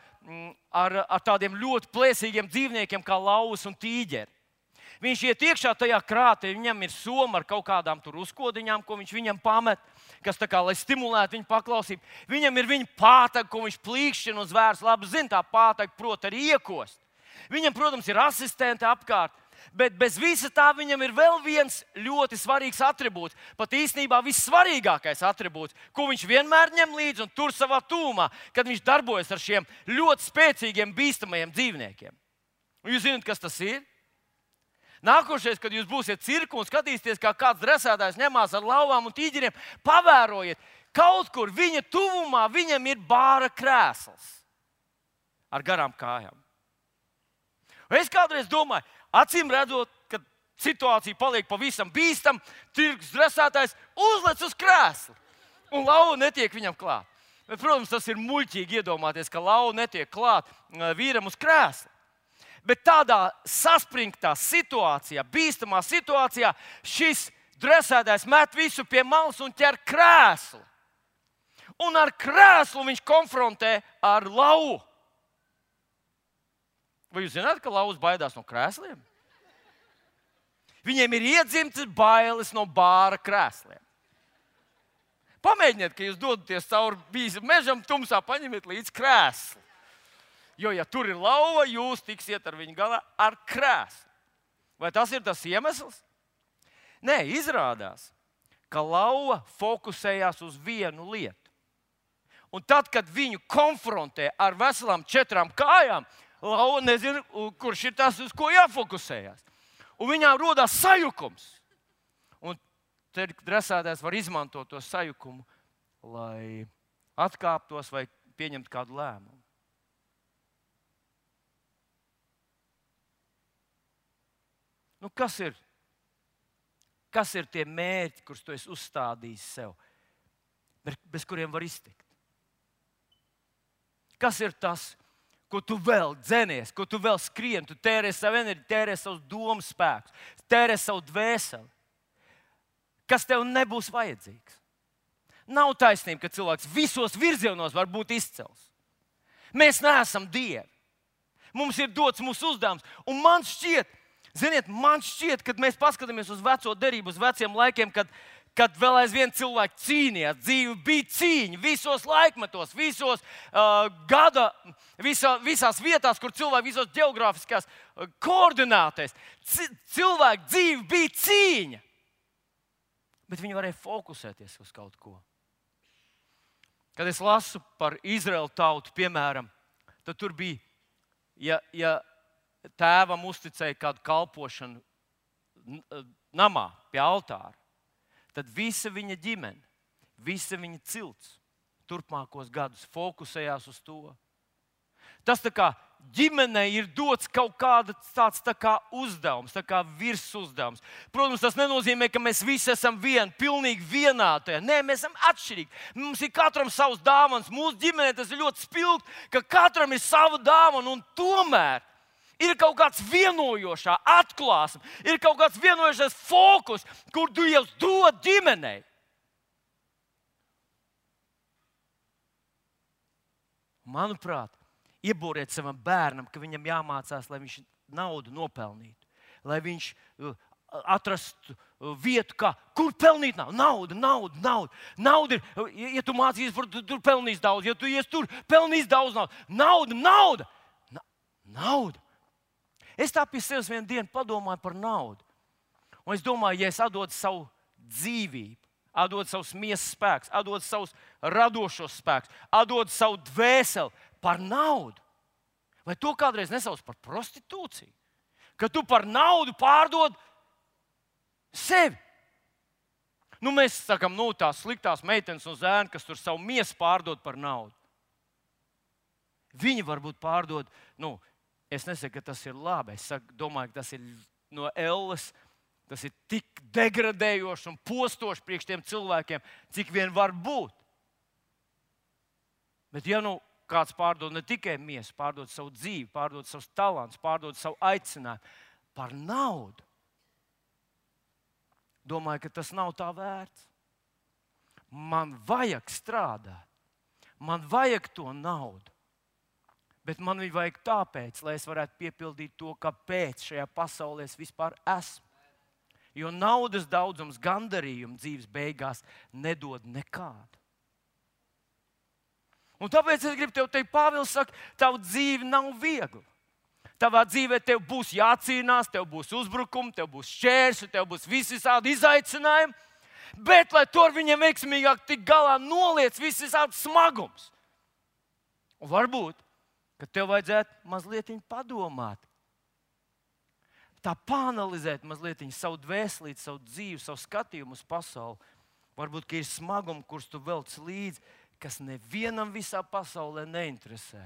tādiem ļoti plēsīgiem dzīvniekiem kā lauvas un tīģeri. Viņš iet iekšā tajā krātē, viņam ir soma ar kaut kādām tur uzkodiņām, ko viņš viņam pamet, kas tā kā, lai stimulētu viņu paklausību. Viņam ir viņa pātaga, ko viņš plīkšķina un zvērs labi zina, tā pātaga prot arī iekost. Viņam, protams, ir asistenti apkārt. Bet bez visa tā viņam ir vēl viens ļoti svarīgs atribūts. Pat īstenībā vissvarīgākais atribūts, ko viņš vienmēr ņem līdzi un tur savā tūmā, kad viņš darbojas ar šiem ļoti spēcīgiem, bīstamajiem dzīvniekiem. Un jūs zināt, kas tas ir? Nākošais, kad jūs būsiet cirku un skatīsieties, kā kāds dresētājs ņemās ar lauvām un tīģeriem, pavērojiet, kaut kur viņa tuvumā viņam ir bāra krēsls ar garām kājām. Un es kādreiz domāju, acīm redzot, kad situācija paliek pavisam bīstama, tirgus dresētājs uzlec uz krēsla un lauva netiek viņam klāt. Bet, protams, tas ir muļķīgi iedomāties, ka lauva netiek klāt vīram uz krēsla. Bet tādā saspringtā situācijā, bīstamā situācijā, šis dresētājs met visu pie malas un ķer krēslu. Un ar krēslu viņš konfrontē ar lauvu. Vai jūs zināt, ka lauvas baidās no krēsliem? Viņiem ir iedzimtas bailes no bāra krēsliem. Pamēģiniet, ka jūs dodaties cauri bīstam mežam, tumsā paņemiet līdzi krēslu. Jo, ja tur ir lauva, jūs tiksiet ar viņu galā ar krēslu. Vai tas ir tas iemesls? Nē, izrādās, ka lauva fokusējās uz vienu lietu. Un tad, kad viņu konfrontē ar veselām 4 kājām, lauva nezina, kurš ir tas, uz ko jāfokusējas. Un viņām rodās sajukums. Un tad dresētājs var izmantot to sajukumu, lai atkāptos vai pieņemtu kādu lēmumu. Nu, kas ir tie mērķi, kurus tu esi uzstādījis sev, bez kuriem var iztikt? Kas ir tas, ko tu vēl dzenies, ko tu vēl skrien, tu tērē savu enerģiju, tērē savus domu spēkus, tērē savu dvēseli, kas tev nebūs vajadzīgs? Nav taisnība, ka cilvēks visos virzienos var būt izcels. Mēs neesam dievi. Mums ir dots mūsu uzdevums, un man šķiet, kad mēs paskatāmies uz veco derību, uz veciem laikiem, kad vēl aizvien cilvēki cīnījās, dzīve bija cīņa visos laikmetos, visās vietās, kur cilvēki visos ģeogrāfiskās koordinātēs. Cilvēku dzīve bija cīņa, bet viņi varēja fokusēties uz kaut ko. Kad es lasu par Izraēlu tautu, piemēram, tad tur bija, ja tēvam uzticēja kādu kalpošanu namā pie altāra, tad visa viņa ģimene, visa viņa cilts turpmākos gadus fokusējās uz to. Tas tā kā ģimenei ir dots kaut tāds tā kā uzdevums, tā kā virsuzdevums. Protams, tas nenozīmē, ka mēs visi esam pilnīgi vienādi. Nē, mēs esam atšķirīgi. Mums ir katram savs dāvans. Mūsu ģimenē tas ir ļoti spilgti, ka katram ir sava dāvana, un tomēr ir kaut kāds vienojošā atklāsme, ir kaut kāds vienojošais fokus, kur Dievs dod ģimenei. Manuprāt, iebūriet savam bērnam, ka viņam jāmācās, lai viņš naudu nopelnītu, lai viņš atrastu vietu, kur pelnīt naudu. Nauda ir, ja tu mācīsies, tur pelnīs daudz, ja tu ies tur, pelnīs daudz naudu. Nauda. Es tā pie sevis vienu dienu padomāju par naudu. Un es domāju, ja es atdodu savu dzīvību, atdodu savus miesas spēkus, atdodu savus radošos spēkus, atdodu savu dvēseli par naudu, vai to kādreiz nesauc par prostitūciju? Ka tu par naudu pārdod sevi. Mēs sakām, tās sliktās meitenes un zēni, kas tur savu miesu pārdod par naudu. Viņi varbūt pārdod Es nesaku, ka tas ir labi. Es domāju, ka tas ir no elles. Tas ir tik degradējoši un postoši priekš tiem cilvēkiem, cik vien var būt. Bet ja nu kāds pārdod ne tikai miesu, pārdod savu dzīvi, pārdod savus talantus, pārdod savu aicinājumu par naudu, domāju, ka tas nav tā vērts. Man vajag strādāt, man vajag to naudu, bet man viņu vajag tāpēc, lai es varētu piepildīt to, kāpēc šajā pasaulē es vispār esmu. Jo naudas daudzums gandarījumu dzīves beigās nedod nekādu. Un tāpēc es gribu tev teikt, Pāvils saka, tava dzīve nav viegla. Tavā dzīvē tev būs jācīnās, tev būs uzbrukumi, tev būs šķēršļi, tev būs visādi izaicinājumi. Bet, lai to ar viņiem veiksmīgāk tik galā, noliec visādi smagums. Un varbūt, ka tev vajadzētu mazliet padomāt. Tā pāanalizēt mazliet savu dvēselīti, savu dzīvi, savu skatījumu uz pasauli. Varbūt, ka ir smagumi, kurus tu velc līdzi, kas nevienam visā pasaulē neinteresē.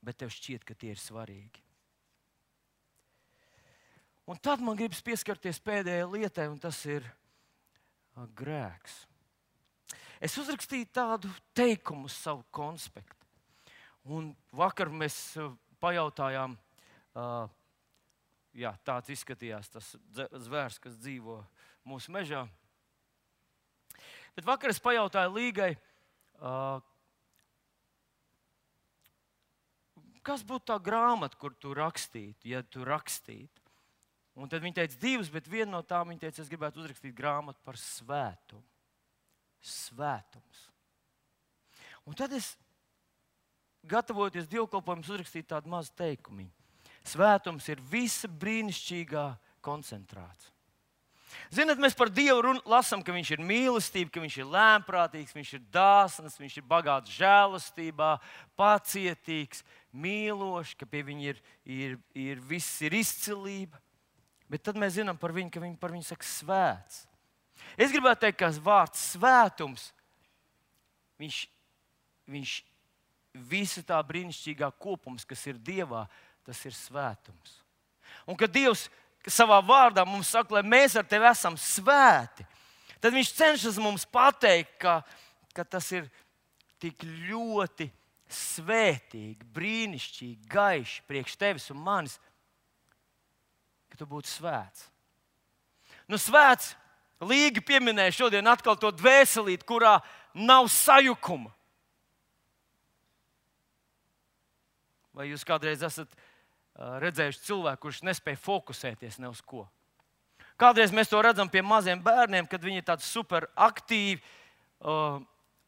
Bet tev šķiet, ka tie ir svarīgi. Un tad man gribas pieskarties pēdējai lietai, un tas ir grēks. Es uzrakstīju tādu teikumu uz savu konspektu. Un vakar mēs pajautājām, jā, tāds izskatījās tas zvērs, kas dzīvo mūsu mežā. Bet vakar es pajautāju Līgai, kas būtu tā grāmata, kur tu rakstītu, ja tu rakstītu. Un tad viņa teica 2, bet viena no tām viņa teica, es gribētu uzrakstīt grāmatu par svētumu. Svētums. Un tad es, gatavojoties dievkalpojumam, uzrakstīju tādu mazu teikumu. Svētums ir visa brīnišķīgā koncentrācija. Ziniet, mēs par Dievu lasām, ka viņš ir mīlestība, ka viņš ir lēnprātīgs, viņš ir dāsns, viņš ir bagāts žēlastībā, pacietīgs, mīlošs, ka pie viņa viss ir izcilība. Bet tad mēs zinām par viņu, ka viņi par viņu saka svēts. Es gribētu teikt, ka vārds svētums, viņš visa tā brīnišķīgā kopums, kas ir Dievā, tas ir svētums. Un kad Dievs savā vārdā mums saka, lai mēs ar tevi esam svēti, tad viņš cenšas mums pateikt, ka tas ir tik ļoti svētīgi, brīnišķīgi, gaiši priekš tevis un manis, ka tu būtu svēts. Nu, svēts, Līga pieminēja šodien atkal to dvēselīti, kurā nav sajukuma. Vai jūs kādreiz esat redzējuši cilvēku, kurš nespēja fokusēties ne uz ko? Kādreiz mēs to redzam pie maziem bērniem, kad viņi ir tādi super aktīvi.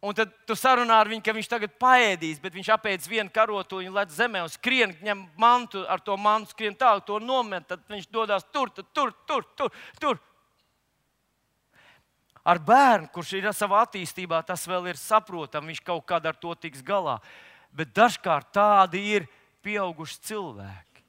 Un tad tu sarunā ar viņu, ka viņš tagad paēdīs, bet viņš apēdis vienu karotu, lec zemē un skrien, ņem mantu, ar to mantu skrien tālāk, to nomet, tad viņš dodas tur. Ar bērnu, kurš ir savā attīstībā, tas vēl ir saprotami, viņš kaut kādā ar to tiks galā. Bet dažkārt tādi ir pieauguši cilvēki.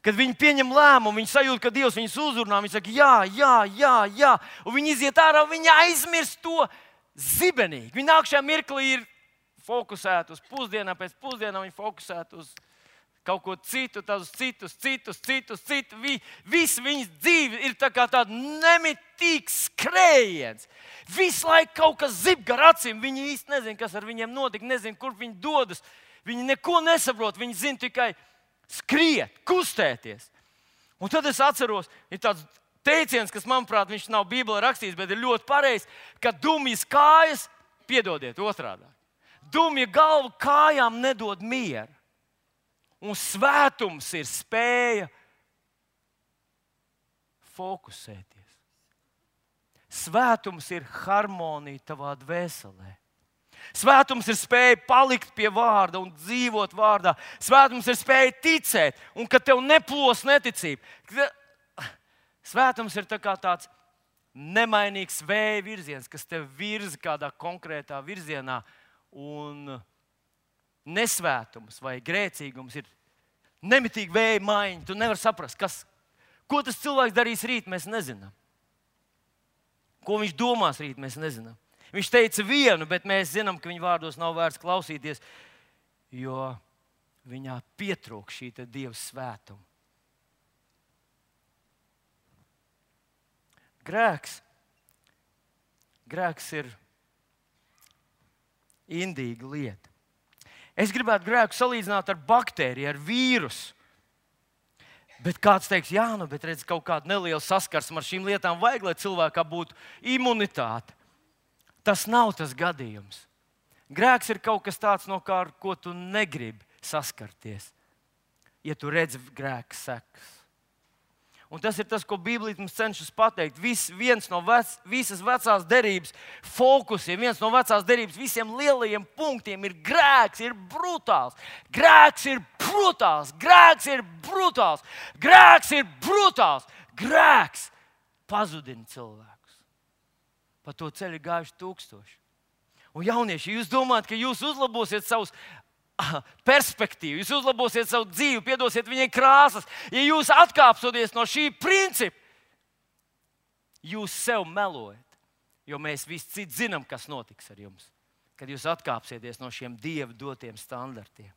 Kad viņi pieņem lēmumu, viņi sajūt, ka Dievs viņus uzrunā, viņi saka, jā. Un viņi iziet ārā, viņi aizmirst to zibenīgi. Viņi nākšajā mirklī ir fokusēti uz pusdienām, pēc pusdienām viņi fokusēti uz kaut ko citu, tad uz citus. Viss viņas dzīve ir tā kā tāda nemitīgs skrējiens. Visu laiku kaut kas zib gar acīm. Viņi īsti nezina, kas ar viņiem notika, nezina, kur viņi dodas. Viņi neko nesaprot, viņi zina tikai skriet, kustēties. Un tad es atceros, ir tāds teiciens, kas, manuprāt, viņš nav Bībelē rakstīts, bet ir ļoti pareizs, ka dumjas kājas, piedodiet otrādi, dumja galva kājām nedod mieru. Un svētums ir spēja fokusēties. Svētums ir harmonija tavā dvēselē. Svētums ir spēja palikt pie vārda un dzīvot vārdā. Svētums ir spēja ticēt, un kad tev neplos neticība. Svētums ir tāds nemainīgs vēja virziens, kas tev virza kādā konkrētā virzienā. Un nesvētums vai grēcīgums ir nemitīgi vēja maiņa. Tu nevari saprast, ko tas cilvēks darīs rīt, mēs nezinām. Ko viņš domās rīt, mēs nezinām. Viņš teica vienu, bet mēs zinām, ka viņa vārdos nav vērts klausīties, jo viņā pietrūk šī Dieva svētuma. Grēks ir indīga lieta. Es gribētu grēku salīdzināt ar baktēriju, ar vīrusu. Bet kāds teiks, jā, bet redz, kaut kāda neliela saskarsme ar šīm lietām vajag, lai cilvēkam būtu imunitāte. Tas nav tas gadījums. Grēks ir kaut kas tāds, no kā, ar ko tu negribi saskarties, ja tu redzi grēka sekas. Un tas ir tas, ko Bībelē mums cenšas pateikt. Viens no visas vecās derības fokusiem, viens no vecās derības visiem lielajiem punktiem ir grēks, ir brutāls. Grēks ir brutāls, grēks ir brutāls, grēks ir brutāls. Grēks pazudina cilvēkus. Pa to ceļu ir gājuši tūkstoši. Un jaunieši, jūs domājat, ka jūs uzlabosiet savus perspektīvu, jūs uzlabosiet savu dzīvi, piedosiet viņai krāsas. Ja jūs atkāpsoties no šī principa, jūs sev melojat. Jo mēs visi citi zinām, kas notiks ar jums, kad jūs atkāpsieties no šiem Dieva dotiem standartiem.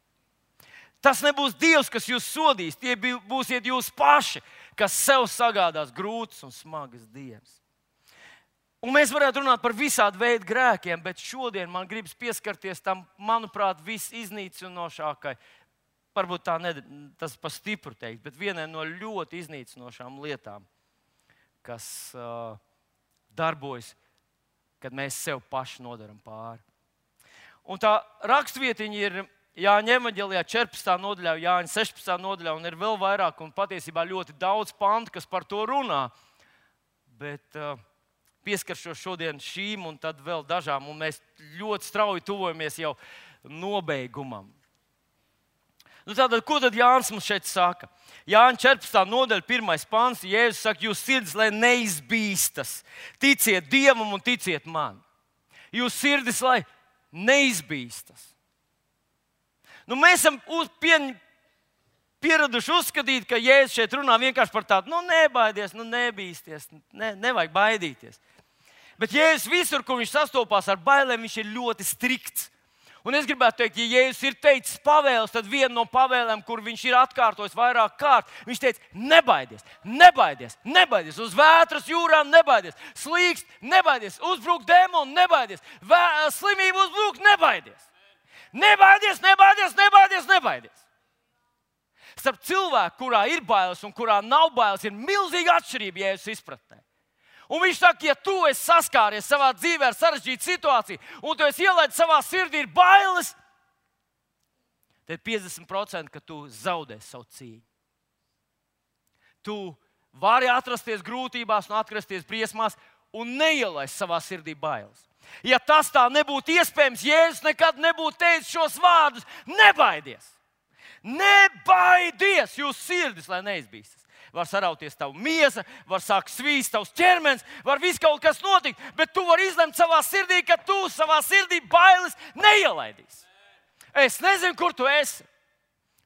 Tas nebūs Dievs, kas jūs sodīs, tie būsiet jūs paši, kas sev sagādās grūtas un smagas dienas. Un mēs varētu runāt par visādu veidu grēkiem, bet šodien man gribas pieskarties tam, manuprāt, visiznīcinošākai. Varbūt tas pa stipru teikt, bet vienai no ļoti iznīcinošām lietām, kas darbojas, kad mēs sev paši nodaram pāri. Un tā rakstvietiņa ir Jāņa evaņģēlijā 14. nodaļā, Jāņa 16. nodaļā, un ir vēl vairāk, un patiesībā ļoti daudz pantu, kas par to runā. Bet pieskaršos šodien šīm un tad vēl dažām, un mēs ļoti strauji tuvojamies jau nobeigumam. Tātad, ko tad Jānis mums šeit saka? Jāņa 14. nodaļa, 1. pants, Jēzus saka, jūs sirdis, lai neizbīstas. Ticiet Dievam un ticiet man. Jūs sirdis, lai neizbīstas. Mēs esam pieraduši uzskatīt, ka Jēzus šeit runā vienkārši par tādu, nebaidies, nebīsties, nevajag baidīties. Bet Jēzus visur, kur viņš sastopās ar bailēm, viņš ir ļoti strikts. Un es gribētu teikt, ja Jēzus ir teicis pavēles, tad viena no pavēlēm, kur viņš ir atkārtojis vairāk kārt, viņš teica, nebaidies, nebaidies, nebaidies, uz vētras jūrām nebaidies, slīkst, nebaidies, uzbruk dēmonu, nebaidies, slimību uzbruk, nebaidies. Nebaidies, nebaidies, nebaidies, nebaidies. Starp cilvēku, kurā ir bailes un kurā nav bailes, ir milzīga atšķirība Jēzus izpratnē. Un viņš saka, ja tu esi saskāries savā dzīvē ar sarežģītu situāciju, un tu esi ielaidis savā sirdī ir bailes, tad 50%, ka tu zaudēsi savu cīņu. Tu vari atrasties grūtībās un atgriezties briesmās un neielaist savā sirdī bailes. Ja tas tā nebūtu iespējams, Jēzus nekad nebūtu teicis šos vārdus: nebaidies! Nebaidies! Jūs sirdis, lai neizbīstas. Var sarauties tava miesa, var sākt svīst tavs ķermenis, var viss kaut kas notikt, bet tu vari izlemt savā sirdī, ka tu savā sirdī bailes neielaidīsi. Es nezinu, kur tu esi,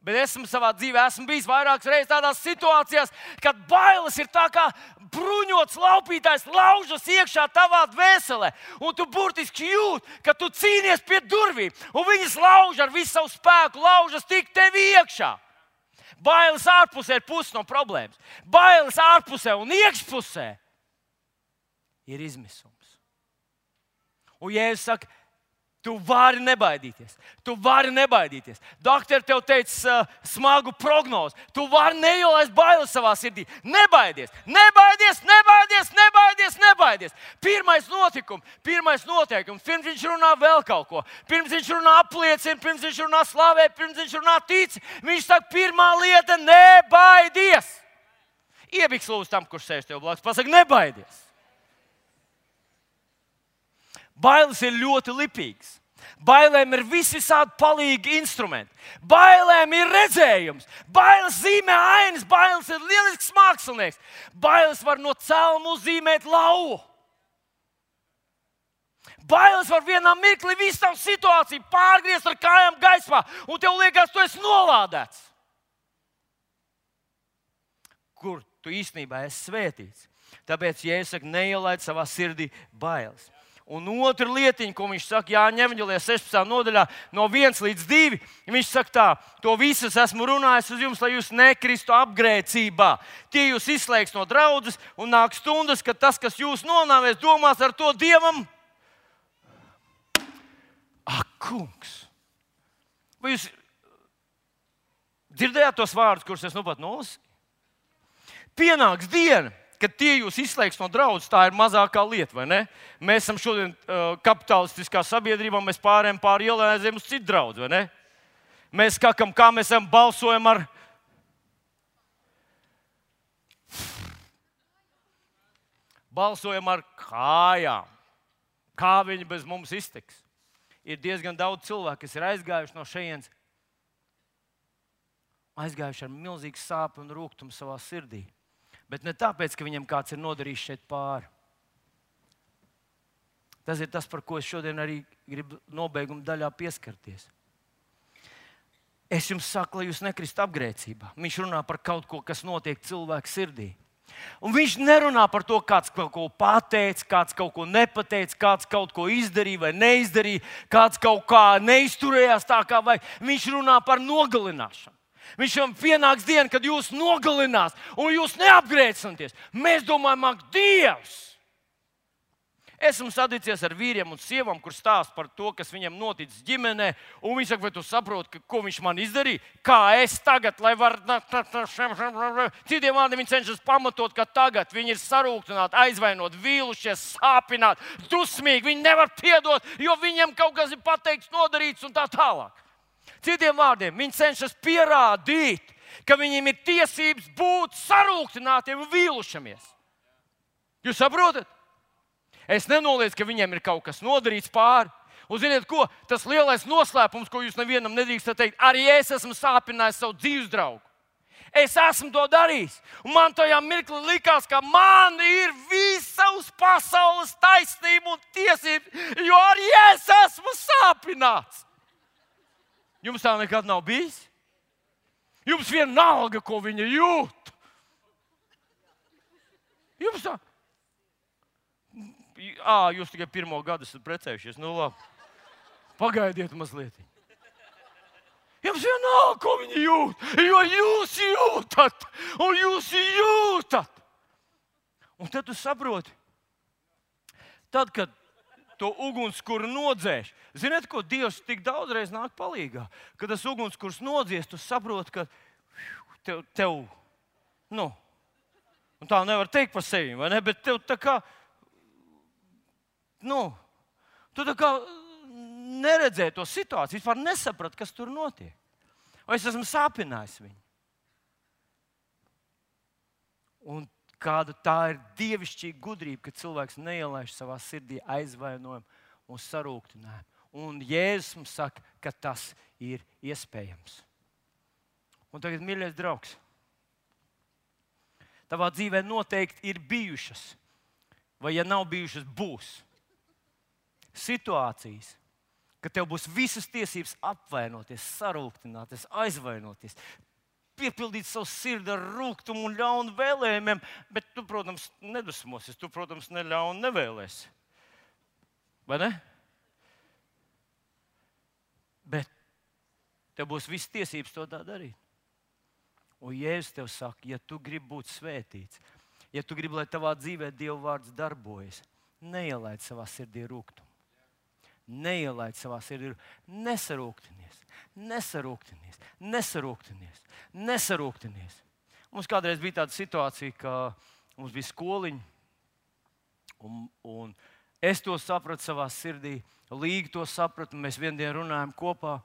bet esmu savā dzīvē bijis vairākas reizes tādās situācijās, kad bailes ir tā kā bruņots laupītājs laužas iekšā tavā dvēselē, un tu burtiski jūti, ka tu cīnies pie durvīm, un viņas lauž ar visu savu spēku, laužas tik tevi iekšā. Bailes ārpusē ir pusi no problēmas. Bailes ārpusē un iekšpusē ir izmisums. Un Jēzus saka, tu vari nebaidīties. Tu vari nebaidīties. Doktori tev teica smagu prognozi. Tu vari neielaist bailes savā sirdī. Nebaidies, nebaidies, nebaidies, nebaidies, nebaidies. Pirmais noteikums. Pirms viņš runā vēl kaut ko. Pirms viņš runā apliecina, pirms viņš runā slavē, pirms viņš runā tic. Viņš saka, pirmā lieta - nebaidies. Iebiks lūdzu tam, kurš sēž tev blakus. Pasaka, nebaidies. Bailes ir ļoti lipīgas. Bailēm ir visādi palīgi instrumenti. Bailēm ir redzējums. Bailes zīmē ainas. Bailes ir lielisks mākslinieks. Bailes var no celma uzzīmēt lauvu. Bailes var vienā mirklī visu tavu situāciju pārgriezt ar kājām gaismā, un tev liekas, tu esi nolādēts. Kur tu īstenībā esi svētīts? Tāpēc, ja es saku, neielaid savā sirdī bailes. Un otra lietiņa, ko viņš saka, Jāņa evaņģēlijā 16. nodaļā, no 1 līdz 2, viņš saka tā: to visus esmu runājis uz jums, lai jūs nekristu apgrēcībā. Tie jūs izslēgs no draudzes, un nāk stundas, kad tas, kas jūs nonāvēs, domās ar to Dievam. Ak, kungs! Vai jūs dzirdējāt tos vārdus, kurus es nu pat nolasīju? Pienāks diena, kad tie jūs izslēgs no draudzes, tā ir mazākā lieta, vai ne? Mēs esam šodien kapitalistiskā sabiedrībā, mēs pārējām pāri ielai, aizējām uz citu draudzi, vai ne? Mēs skakam, kā mēs esam, balsojam ar... Balsojam ar kājām. Kā viņi bez mums iztiks? Ir diezgan daudz cilvēku, kas ir aizgājuši no šejienes, aizgājuši ar milzīgu sāpju un rūgtumu savā sirdī. Bet ne tāpēc, ka viņam kāds ir nodarījis šeit pāri. Tas ir tas, par ko es šodien arī gribu nobeiguma daļā pieskarties. Es jums saku, lai jūs nekristu apgrēcībā. Viņš runā par kaut ko, kas notiek cilvēka sirdī. Un viņš nerunā par to, kāds kaut ko pateica, kāds kaut ko nepateica, kāds kaut ko izdarīja vai neizdarīja, kāds kaut kā neizturējās tā, kā vajag. Viņš runā par nogalināšanu. Viņš jau pienāks diena, kad jūs nogalinās un jūs neapgrēcināties. Mēs domājam, ak, Dievs! Esmu saticies ar vīriem un sievām, kur stāsta par to, kas viņam noticis ģimenē. Un viņi saka, vai tu saproti, ko viņš man izdarīja? Kā es tagad, lai varu... Citiem vārdiem viņi cenšas pamatot, ka tagad viņi ir sarūktināti, aizvainoti, vīlušies, sāpināti, dusmīgi. Viņi nevar piedot, jo viņiem kaut kas ir pateikts, nodarīts un tā tālāk. Citiem vārdiem, viņi cenšas pierādīt, ka viņiem ir tiesības būt sarūktinātiem un vīlušamies. Jūs saprotat? Es nenoliedzu, ka viņiem ir kaut kas nodarīts pāri. Un ziniet ko? Tas lielais noslēpums, ko jūs nevienam nedrīkstat teikt, arī es esmu sāpinājis savu dzīves draugu. Es esmu to darījis. Un man tajā mirklī likās, ka man ir visa uz pasaules taisnība un tiesības, jo arī es esmu sāpināts. Jums tā nekad nav bijis? Jums vienalga, ko viņa jūt. Jums tā... Jūs tikai 1. gadu esat precējušies. Nu labi. Pagaidiet mazliet. Jums vienalga, ko viņa jūt, jo jūs jūtat. Un jūs jūtat. Un tad tu saproti. Tad, kad to ugunskura nodzēš. Ziniet, ko Dievs tik daudzreiz nāk palīgā? Kad tas ugunskurs nodzies, tu saproti, ka tev nu, un tā nevar teikt par sevi, vai ne? Bet tev tā kā, tu tā kā neredzēji to situāciju, vispār nesaprat, kas tur notiek. Vai es esmu sāpinājis viņu? Un kāda tā ir dievišķīga gudrība, ka cilvēks neielaiž savā sirdī aizvainojumu un sarūktinājumu. Un Jēzus mums saka, ka tas ir iespējams. Un tagad, mīļais draugs, tavā dzīvē noteikti ir bijušas, vai ja nav bijušas, būs situācijas, ka tev būs visas tiesības apvainoties, sarūktināties, aizvainoties, piepildīt savu sirdi ar rūgtumu un ļaunu vēlējumiem, bet tu, protams, nedusmosies, tu, protams, neļaunu nevēlēsi. Vai ne? Bet tev būs visas tiesības to tā darīt. Un Jēzus tev saka, ja tu gribi būt svētīts, ja tu gribi, lai tavā dzīvē Dieva vārds darbojas, neielaid savā sirdī rūgtumu. Neielaid savā sirdī rūgtumu. Nesarūktinies. Mums kādreiz bija tāda situācija, ka mums bija skoliņa, un es to sapratu savā sirdī, Līga to sapratu, un mēs viendienu runājam kopā,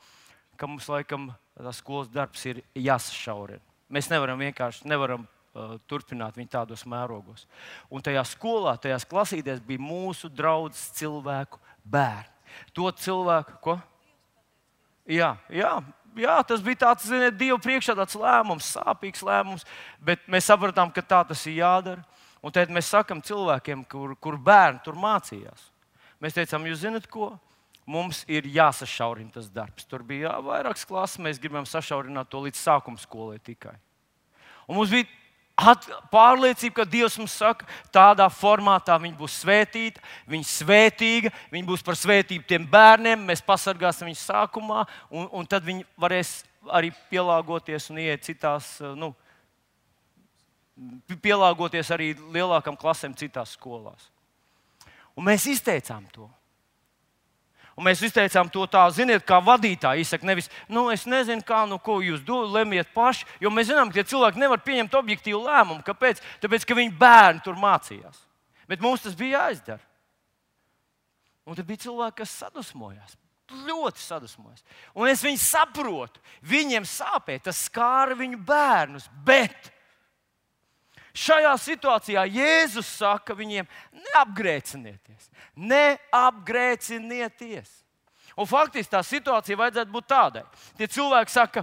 ka mums laikam tas skolas darbs ir jāsašaurina. Mēs nevaram turpināt viņu tādos mērogos. Un tajā skolā, tajās klasītēs bija mūsu draudzes cilvēku bērni. To cilvēku, ko? Jā, tas bija tāds, ziniet, Dieva priekšā tāds lēmums, sāpīgs lēmums, bet mēs sapratām, ka tā tas ir jādara. Un tad mēs sakam cilvēkiem, kur bērni tur mācījās. Mēs teicām, jūs zināt ko? Mums ir jāsašaurina tas darbs. Tur bija vairākas klases, mēs gribam sašaurināt to līdz sākuma skolai tikai. Un mums bija Pārliecība, ka Dievs mums saka, tādā formātā viņi būs svētīti, viņi svētīga, viņi būs par svētību tiem bērniem, mēs pasargāsim viņus sākumā, un tad viņi varēs arī pielāgoties un iet citās, pielāgoties arī lielākām klasēm citās skolās. Un mēs izteicām to. Un mēs izteicām to tā, ziniet, kā vadītāji izsaka, nevis, es nezinu, kā, ko jūs lemiet paši, jo mēs zinām, ka tie cilvēki nevar pieņemt objektīvu lēmumu. Kāpēc? Tāpēc, ka viņu bērni tur mācījās. Bet mums tas bija jāizdara. Un tad bija cilvēki, kas sadusmojās. Ļoti sadusmojās. Un es viņus saprotu. Viņiem sāpēja, tas skāra viņu bērnus. Bet šajā situācijā Jēzus saka viņiem, neapgrēcinieties. Neapgrēcinieties. Un faktiski tā situācija vajadzētu būt tādai. Tie cilvēki saka,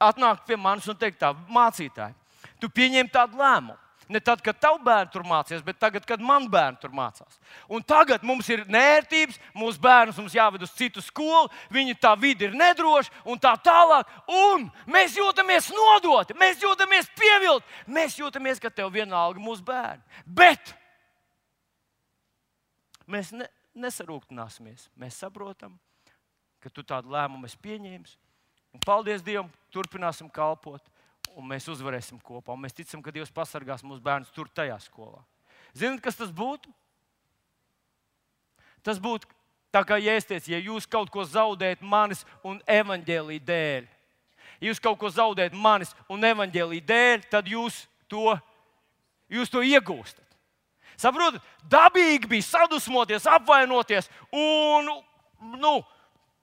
atnāk pie manis un teikt tā, mācītāji, tu pieņem tādu lēmumu. Ne tad, kad tavu bērnu tur mācījās, bet tagad, kad man bērnu tur mācās. Un tagad mums ir nērtības, mūsu bērnus mums jāved uz citu skolu, viņa tā vide ir nedroša un tā tālāk. Un mēs jūtamies nodoti, mēs jūtamies pievilti, mēs jūtamies, ka tev vienalga mūsu bērni. Bet mēs nesarūktināsimies. Mēs saprotam, ka tu tādu lēmumu esi pieņēmis. Un paldies Dievam, turpināsim kalpot. Un mēs uzvarēsim kopā. Un mēs ticam, ka Dievs pasargās mūsu bērnus tur, tajā skolā. Zināt, kas tas būtu? Tas būtu tā, kā Jēzus teica, ja jūs kaut ko zaudējat manis un evaņģēlija dēļ. Ja jūs kaut ko zaudējat manis un evaņģēlija dēļ, tad jūs to iegūstat. Saprotat? Dabīgi bija sadusmoties, apvainoties un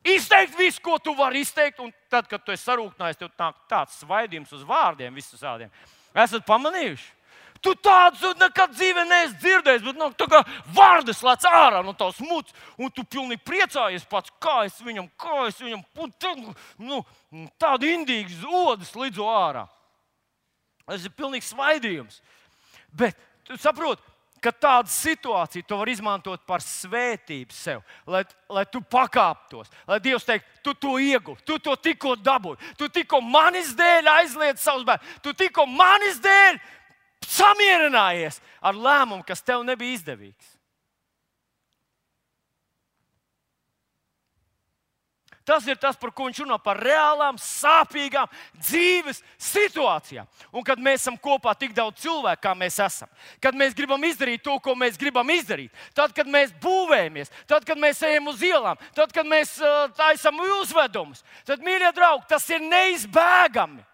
izteikt visu, ko tu vari izteikt, un tad, kad tu esi sarūktinājies, tev nāk tāds svaidījums uz vārdiem, visus tādiem. Esat pamanījuši? Tu tādu nekad dzīvē neesi dzirdējis, bet tā kā vārdas lēc ārā no tavas mutes, un tu pilnīgi priecājies pats, kā es viņam, tādu indīgu odas lidzo ārā. Tas ir pilnīgs svaidījums. Bet tu saproti, ka tādu situāciju tu vari izmantot par svētību sev, lai tu pakāptos, lai Dievs teikt, tu to ieguvi, tu to tikko dabūji, tu tikko manis dēļ aizliedz savus bērnus, tu tikko manis dēļ samierinājies ar lēmumu, kas tev nebija izdevīgs. Tas ir tas, par ko viņš runā, par reālām, sāpīgām dzīves situācijām. Un kad mēs esam kopā tik daudz cilvēku, kā mēs esam, kad mēs gribam izdarīt to, ko mēs gribam izdarīt, tad, kad mēs būvējamies, tad, kad mēs ejam uz ielām, tad, kad mēs taisam uzvedumus, tad, mīļie draugi, tas ir neizbēgami,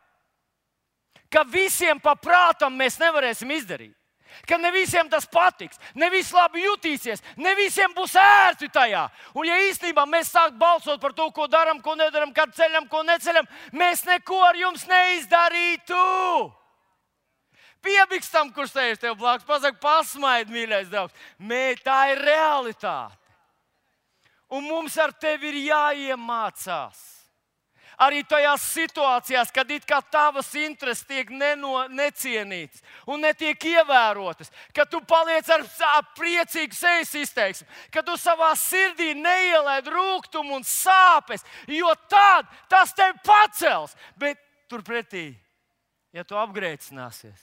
ka visiem pa prātam mēs nevarēsim izdarīt. Ka ne visiem tas patiks, ne visi labi jutīsies, ne visiem būs ērti tajā. Un ja īstenībā mēs sākam balsot par to, ko darām, ko nedarām, kad ceļam, ko neceļam, mēs neko ar jums neizdarītu. Piebikstam, kurš sēž tev blakus, pasaka, pasmaid, mīļais draugs. Tā ir realitāte. Un mums ar tevi ir jāiemācās. Arī tajās situācijās, kad it kā tavas intereses tiek necienītas un netiek ievērotas, kad tu paliec ar priecīgu sejas izteiksmi, kad tu savā sirdī neielaid rūgtumu un sāpes, jo tad tas tevi pacels. Bet turpretī, ja tu apgrēcināsies,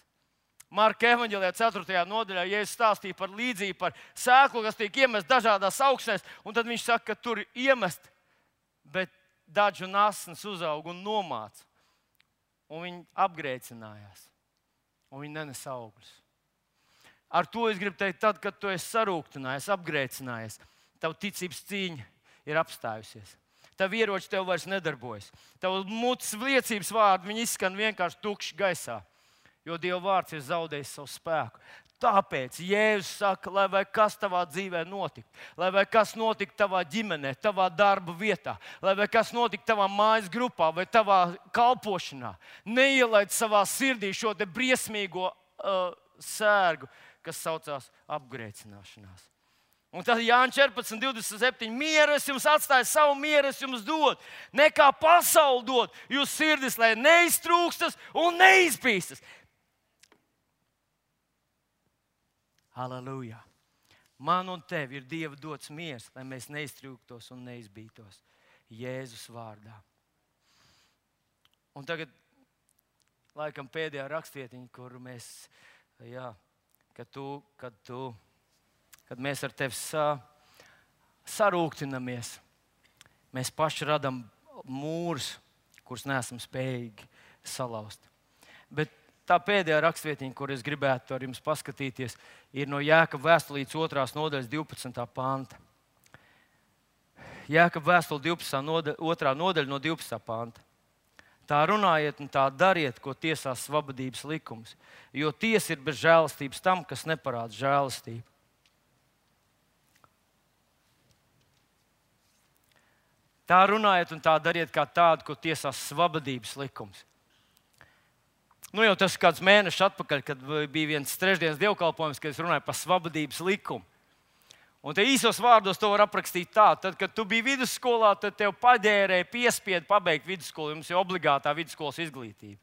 Marka evaņģēlijā 4. nodaļā Jēzus stāstīja par līdzību, par sēklu, kas tiek iemest dažādās augsnēs, un tad viņš saka, ka tur iemest, bet dažu nasnes uzaug un nomāca. Un viņi apgrēcinājās. Un viņi nenes augļus. Ar to es gribu teikt, tad, kad tu esi sarūktinājies, apgrēcinājies, tavu ticības cīņa ir apstājusies. Tavu ieroči tev vairs nedarbojas. Tavu mutes liecības vārdi, viņi izskan vienkārši tukši gaisā. Jo Dieva vārds ir zaudējis savu spēku. Tāpēc Jēzus saka, lai vai kas tavā dzīvē notika, lai vai kas notika tavā ģimenē, tavā darba vietā, lai vai kas notika tavā mājas grupā vai tavā kalpošanā, neielaid savā sirdī šo te briesmīgo sērgu, kas saucās apgrēcināšanās. Un tad Jānis 14:27. Mieru es jums atstāju, savu mieru es jums dodu. Nekā pasaule dod, jūs sirdis, lai neiztrūkstas un neizpīstas. Halleluja! Man un tev ir Dieva dots miers, lai mēs neiztrūktos un neizbītos Jēzus vārdā. Un tagad, laikam pēdējā rakstvietiņa, kur mēs, kad mēs ar tevi sarūktinamies, mēs paši radām mūrus, kurus neesam spējīgi salauzt. Bet tā pēdējā rakstvietiņa, kur es gribētu ar jums paskatīties, ir no Jēkaba vēstulītes 2. nodaļas 12. panta. Jēkaba vēstule 2. nodaļa no 12. panta. Tā runājiet un tā dariet, ko tiesās svabadības likums, jo tiesa ir bez žēlastības tam, kas neparāda žēlastību. Tā runājiet un tā dariet kā tādu, ko tiesās svabadības likums. Nu jau tas kāds mēnešus atpakaļ, kad bija viens trešdienas dievkalpojums, kad es runāju par svabadības likumu. Un te īsos vārdos to var aprakstīt tā, tad, kad tu biji vidusskolā, tad tev paģērēja piespiedu pabeigt vidusskolu, jums ir obligātā vidusskolas izglītība.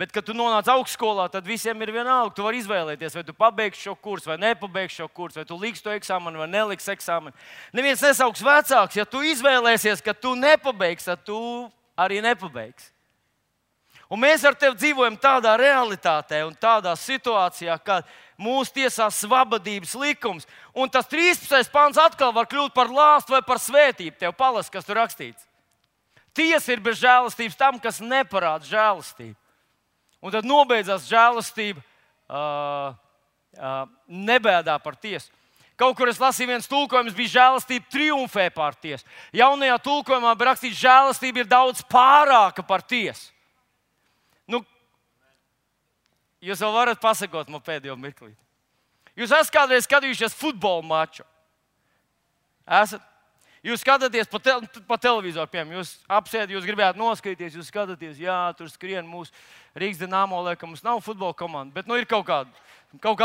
Bet, kad tu nonāc augstskolā, tad visiem ir vienalga, tu vari izvēlēties, vai tu pabeigsi šo kursu, vai nepabeigsi šo kursu, vai tu liksi to eksāmenu, vai neliksi eksāmenu. Neviens nesauks vecāks, ja tu izvēlēsies, ka tu nepabeigsi, tad tu arī nepabeigsi. Un mēs ar tevi dzīvojam tādā realitātē un tādā situācijā, kad mūsu tiesā svabadības likums. Un tas 13. pants atkal var kļūt par lāstu vai par svētību. Tev palas, kas tur rakstīts. Tiesa ir bez žēlastības tam, kas neparāda žēlastību. Un tad nobeidzās žēlastība, nebēdā par tiesu. Kaut kur es lasīju, viens tulkojums bija žēlastība triumfē pār tiesu. Jaunajā tulkojumā bija rakstīts, žēlastība ir daudz pārāka par tiesu. Nu, jūs vēl varat pasakot man pēdējo mirklī. Jūs esat kādreiz skatījušies futbola maču? Esat? Jūs skatāties pa televizoru, piemēram, jūs apsēdat, jūs gribētu noskatīties, jūs skatāties, jā, tur skrien mūsu Rīgas Dinamo, ka mums nav futbola komanda, bet nu ir kaut kāda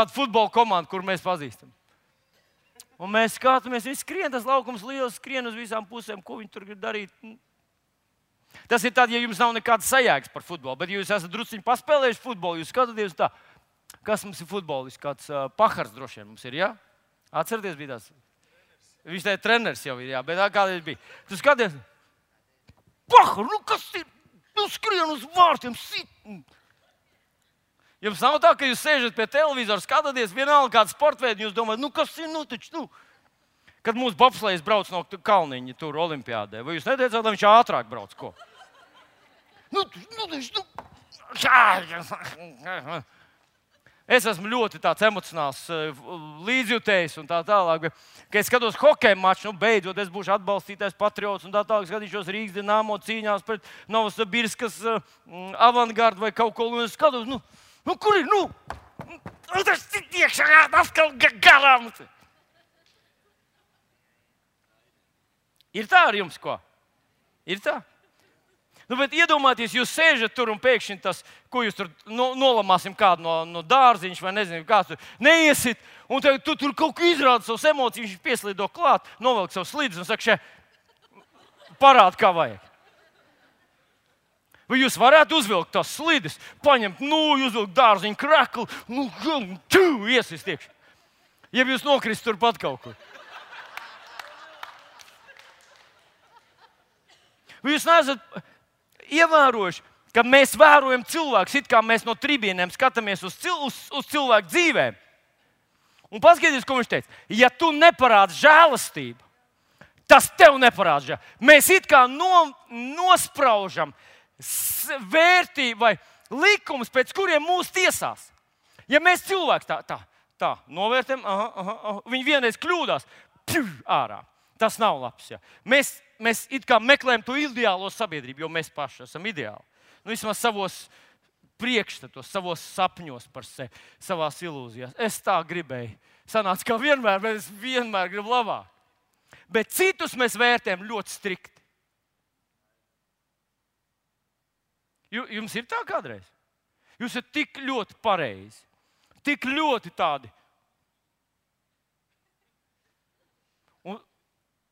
futbola komanda, kur mēs pazīstam. Un mēs skatāmies, viņi skrien, tas laukums liels, skrien uz visām pusēm, ko viņi tur grib darīt. Tas ir tad, ja jums nav nekāda sajēgas par futbolu, bet ja jūs esat drusciņi paspēlējuši futbolu, jūs skatāties tā, kas mums ir futbolists, kāds Pahars droši vien mums ir, jā? Atcerieties, bija tāds. Viņš tā ir treneris jau ir, jā, bet kādreiz bija. Tu skaties, Pahar, nu kas ir? Nu skrien uz vārtiem, sit. Jums nav tā, ka jūs sēžat pie televizora, skatāties vienalga kādu sportveidu, jūs domājat, nu kas ir, nu taču, nu. Kad mūsu bobslejs brauc no Kalniņa tur olimpiādē, vai jūs neteicāt, lai viņš ātrāk brauc, ko? Es esmu ļoti tāds emocionāls līdzjutējs un tā tālāk. Kad es skatos hokeja maču, nu beidzot es būšu atbalstītājs patriots un tā tālāk skatīšos Rīgas Dinamo cīņās pret Novosibirskas avangardu vai kaut ko. Un es skatos, nu kur ir, tas ir iekšā, atkal garām. Ir tā ar jums, ko? Ir tā? Nu, bet iedomājieties, jūs sēžat tur un pēkšņi tas, ko jūs tur nolamāsim kādu no dārziņš vai nezinu, kāds tur neiesit. Un tu tur kaut ko izrāda savas emocijas, viņš pieslido klāt, novelk savu slidus un saka, parāda, kā vajag. Vai jūs varētu uzvilkt tās slidus, paņemt, uzvilkt dārziņu kreklu, iesist iekšā. Ja jūs nokrist turpat kaut kur. Vai jūs neesat ievērojuši, ka mēs vērojam cilvēkus, it kā mēs no tribīnēm skatāmies uz cilvēku dzīvēm? Un paskatieties, ko viņš teica. Ja tu neparādi žēlastību, tas tev neparāda žēlastību. Mēs it kā nospraužam vērtību vai likumus, pēc kuriem mūs tiesās. Ja mēs cilvēki tā novērtējam, viņi vienreiz kļūdās, ārā. Tas nav labs. Jā. Mēs it kā meklējam to ideālo sabiedrību, jo mēs paši esam ideāli. Nu, vismaz savos priekšstatos, savos sapņos par sevi, savās ilūzijās. Es tā gribēju. Sanāca kā vienmēr, bet es vienmēr gribu labāk. Bet citus mēs vērtējam ļoti strikti. Jums ir tā kādreiz? Jūs esat tik ļoti pareizi, tik ļoti tādi.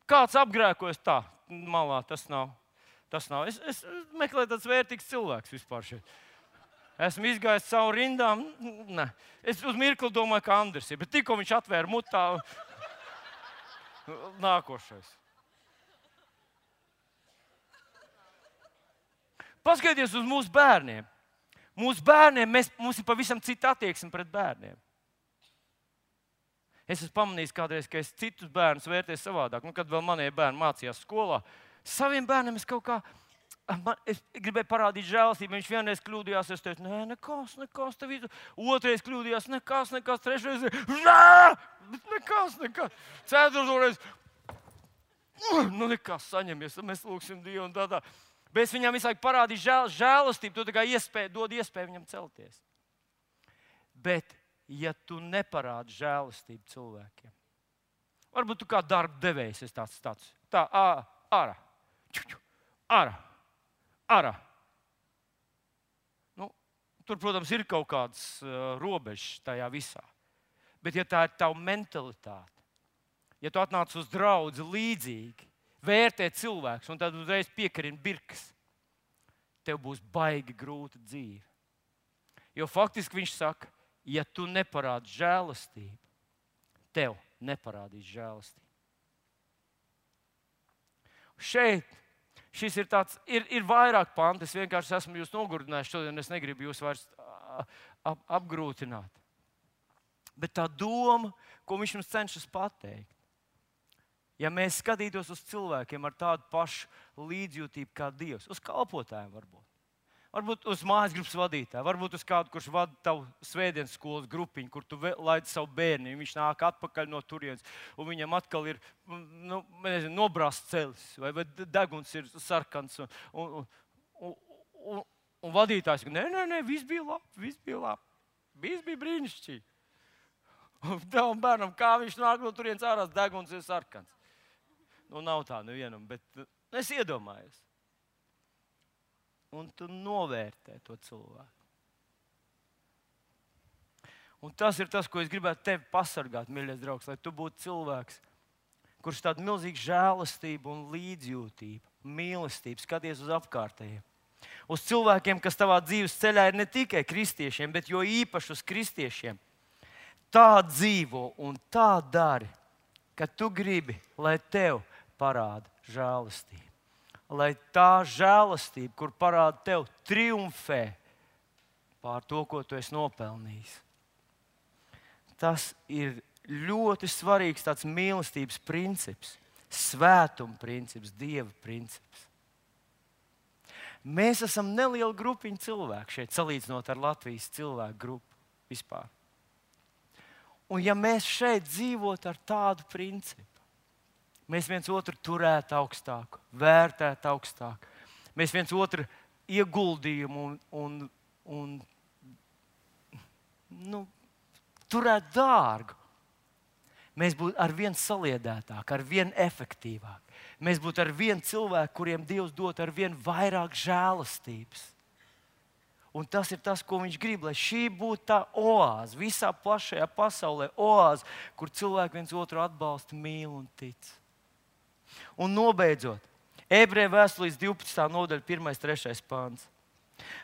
Kāds apgrēkojas tā, malā, tas nav. Es meklēju tāds vērtīgs cilvēks vispār šeit. Esmu izgājis cauri rindām. Ne. Es uz mirkli domāju, ka Andris ir, bet tikko viņš atvēra mutā, nākošais. Paskatieties uz mūsu bērniem. Mūsu bērniem, mums ir pavisam cita attieksme pret bērniem. Es esmu pamanījis kādreiz, ka es citus bērnus vērtēju savādāk. Kad vēl manie bērni mācījās skolā, saviem bērniem es kaut kā, es gribēju parādīt žēlastību. Viņš vienreiz kļūdījās, es teicu, nē, nekas, tev izdarīt. Otrais kļūdījās, nekas, trešreiz, nekas. Ceturtais, nekas, saņemies, mēs lūgsim Dievu un tā. Bet es viņam visu laiku parādīju žēlastību, to tā kā dod iespēju viņam celties. Bet, ja tu neparādi žēlastību cilvēkiem, varbūt tu kā darba devējs esi tāds, ārā. Tur, protams, ir kaut kādas robežas tajā visā. Bet, ja tā ir tava mentalitāte, ja tu atnāc uz draudzi līdzīgi, vērtē cilvēks un tad uzreiz piekarina birkas, tev būs baigi grūta dzīve. Jo faktiski viņš saka, ja tu neparādi žēlastību, tev neparādīs žēlastību. Šis ir tāds, ir vairāk panti, es vienkārši esmu jūs nogurdinājis šodien, es negribu jūs vairs apgrūtināt. Bet tā doma, ko viņš mums cenšas pateikt, ja mēs skatītos uz cilvēkiem ar tādu pašu līdzjūtību kā Dievs, uz kalpotājiem varbūt uz mājas grupas vadītāju, varbūt uz kādu, kurš vada tavu svētdienas skolas grupiņu, kur tu laidi savu bērnu, viņš nāk atpakaļ no turienes, un viņam atkal ir nobrāzts celis, vai deguns ir sarkans, un vadītājs saka, nē, viss bija labi, viss bija brīnišķīgi. Un tavam bērnam, kā viņš nāk no turienes ārā, deguns ir sarkans. Nav tā nevienam, bet es iedomājos. Un tu novērtē to cilvēku. Un tas ir tas, ko es gribētu tevi pasargāt, mīļais draugs, lai tu būtu cilvēks, kurš tādu milzīgu žēlastību un līdzjūtību, mīlestību skaties uz apkārtējiem. Uz cilvēkiem, kas tavā dzīves ceļā ir ne tikai kristiešiem, bet jo īpaši uz kristiešiem. Tā dzīvo un tā dari, ka tu gribi, lai tev parāda žēlastību. Lai tā žēlastība, kur parāda tev, triumfē pār to, ko tu esi nopelnījis. Tas ir ļoti svarīgs tāds mīlestības princips, svētuma princips, Dieva princips. Mēs esam neliela grupiņa cilvēku šeit, salīdzinot ar Latvijas cilvēku grupu vispār. Un ja mēs šeit dzīvotu ar tādu principu, mēs viens otru turētu augstāk, vērtētu augstāk. Mēs viens otru ieguldījumu un turētu dārgu. Mēs būtu ar vien saliedētāki, ar vien efektīvāki. Mēs būtu ar vien cilvēku, kuriem Dievs dod ar vien vairāk žēlastības. Un tas ir tas, ko viņš grib, lai šī būtu tā oāze, visā plašajā pasaulē oāze, kur cilvēki viens otru atbalsta, mīl un tic. Un nobeidzot, Ebreju vēstules 12. nodaļa, 1.3. pāns.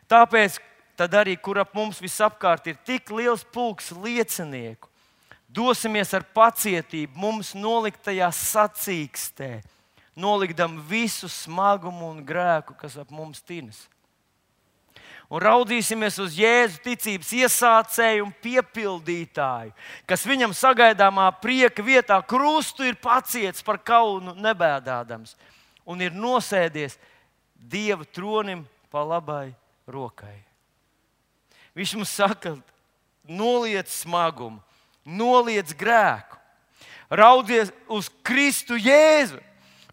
Tāpēc tad arī, kur ap mums visapkārt ir tik liels pulks liecinieku, dosimies ar pacietību mums noliktajā sacīkstē, nolikdam visu smagumu un grēku, kas ap mums tinas. Un raudzīsimies uz Jēzu ticības iesācēju un piepildītāju, kas viņam sagaidāmā prieka vietā krustu ir paciets par kaunu nebēdādams un ir nosēdies Dieva tronim pa labai rokai. Viņš mums saka, noliec smagumu, noliec grēku, raudzies uz Kristu Jēzu,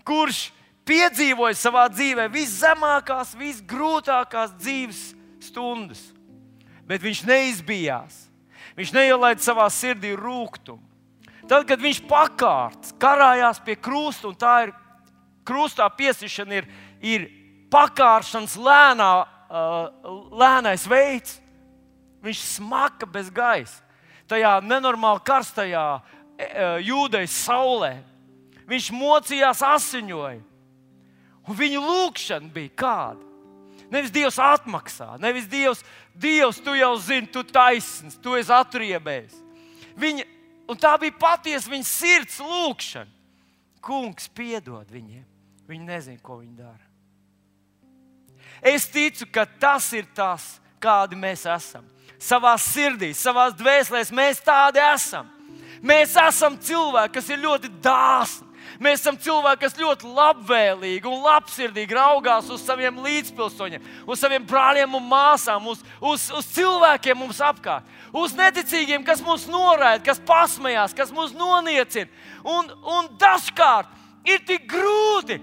kurš piedzīvoja savā dzīvē viszemākās, visgrūtākās dzīves stundas, bet viņš neizbijās. Viņš neielaida savā sirdī rūgtumu. Tad, kad viņš pakārts, karājās pie krusta, un tā ir krustā piesišana, ir pakāršanas lēnais veids. Viņš smaka bez gaisa. Tajā nenormāli karstajā jūdejas saulē. Viņš mocījās, asiņoja. Un viņa lūkšana bija kāda? Nevis Dievs atmaksā, nevis Dievs, tu jau zini, tu taisns, tu esi atriebējis. Un tā bija patiesa viņa sirds lūkšana. Kungs piedod viņiem. Viņi nezina, ko viņi dara. Es ticu, ka tas ir tas kādi mēs esam. Savā sirdī, savās dvēselēs mēs tādi esam. Mēs esam cilvēki, kas ir ļoti dāsni. Mēs esam cilvēki, kas ļoti labvēlīgi un labsirdīgi raugās uz saviem līdzpilsoņiem, uz saviem brāļiem un māsām, uz cilvēkiem mums apkārt, uz neticīgiem, kas mūs noraida, kas pasmējās, kas mūs noniecina. Un dažkārt ir tik grūti,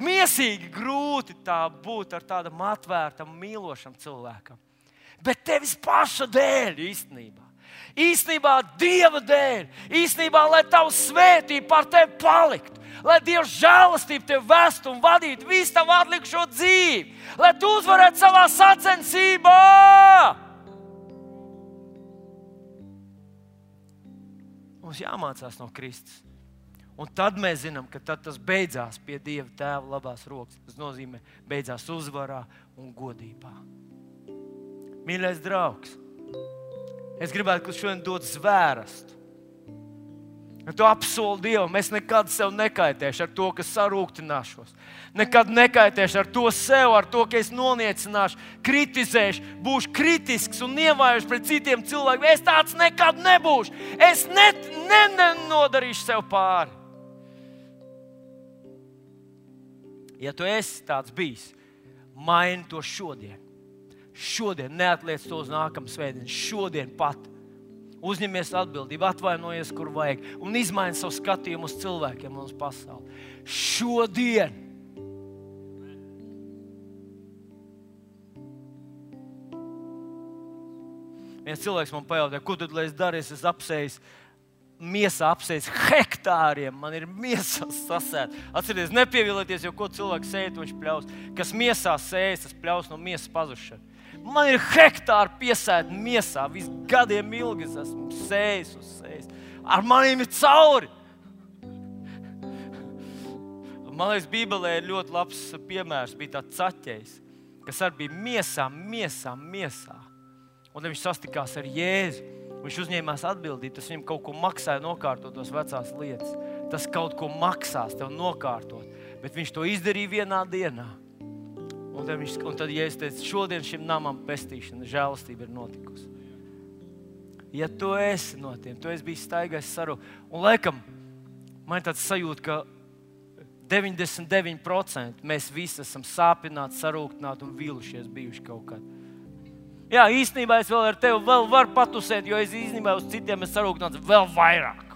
miesīgi grūti tā būt ar tādam atvērtam, mīlošam cilvēkam. Bet tevis paša dēļ īstenībā. Īstenībā Dieva dēļ, īstenībā, lai Tava svētība par tevi paliktu, lai Dieva žēlastība tevi vestu un vadītu visu tavu atlikušo dzīvi, lai tu uzvarētu savā sacensībā. Mums jāmācās no Kristus. Un tad mēs zinām, ka tad tas beidzās pie Dieva Tēva labās rokas. Tas nozīmē, beidzās uzvarā un godībā. Mīļais draugs, es gribētu, ka šodien dod zvērstu. Tu apsoli Dievam, es nekad sev nekaitēšu ar to, ka sarūktināšos. Nekad nekaitēšu ar to sev, ar to, ka es noniecināšu, kritizēšu, būšu kritisks un nievājuši pret citiem cilvēkiem. Es tāds nekad nebūšu. Es nenodarīšu sev pāri. Ja tu esi tāds bijis, maini to šodien. Šodien, neatliec to uz nākamu svētdienu. Šodien pat uzņemies atbildību, atvainojies, kur vajag, un izmaini savu skatījumu uz cilvēkiem un uz pasauli. Šodien! Viens cilvēks man pajautāja, ko tad, lai es darīšu, es apsēju miesā hektāriem, man ir miesā sasēt. Atcerieties, nepievilieties, jo ko cilvēks sēja, viņš pļaus. Kas miesā sējas, tas pļaus no miesas pazušana. Man ir hektāri piesēti miesā, visu gadiem ilgi es esmu sējis uz sējis. Ar maniem ir cauri. Man liekas, Bībelē ir ļoti labs piemērs, bija tāds Caķejs, kas arī bija miesā. Un viņš sastikās ar Jēzu. Viņš uzņēmās atbildību, tas viņam kaut ko maksāja nokārtot tos vecās lietas. Tas kaut ko maksās tev nokārtot, bet viņš to izdarīja vienā dienā. Un tad Jēzus teica, šodien šim namam pestīšana, žēlastība ir notikusi. Ja tu esi no tiem, tu esi bijis staigājis sarūk. Un laikam, man ir tāds sajūta, ka 99% mēs visi esam sāpināti, sarūktināti un vīlušies bijuši kaut kad. Jā, īstenībā es vēl ar tevi varu patusēt, jo es īstenībā uz citiem esmu sarūktināts vēl vairāk.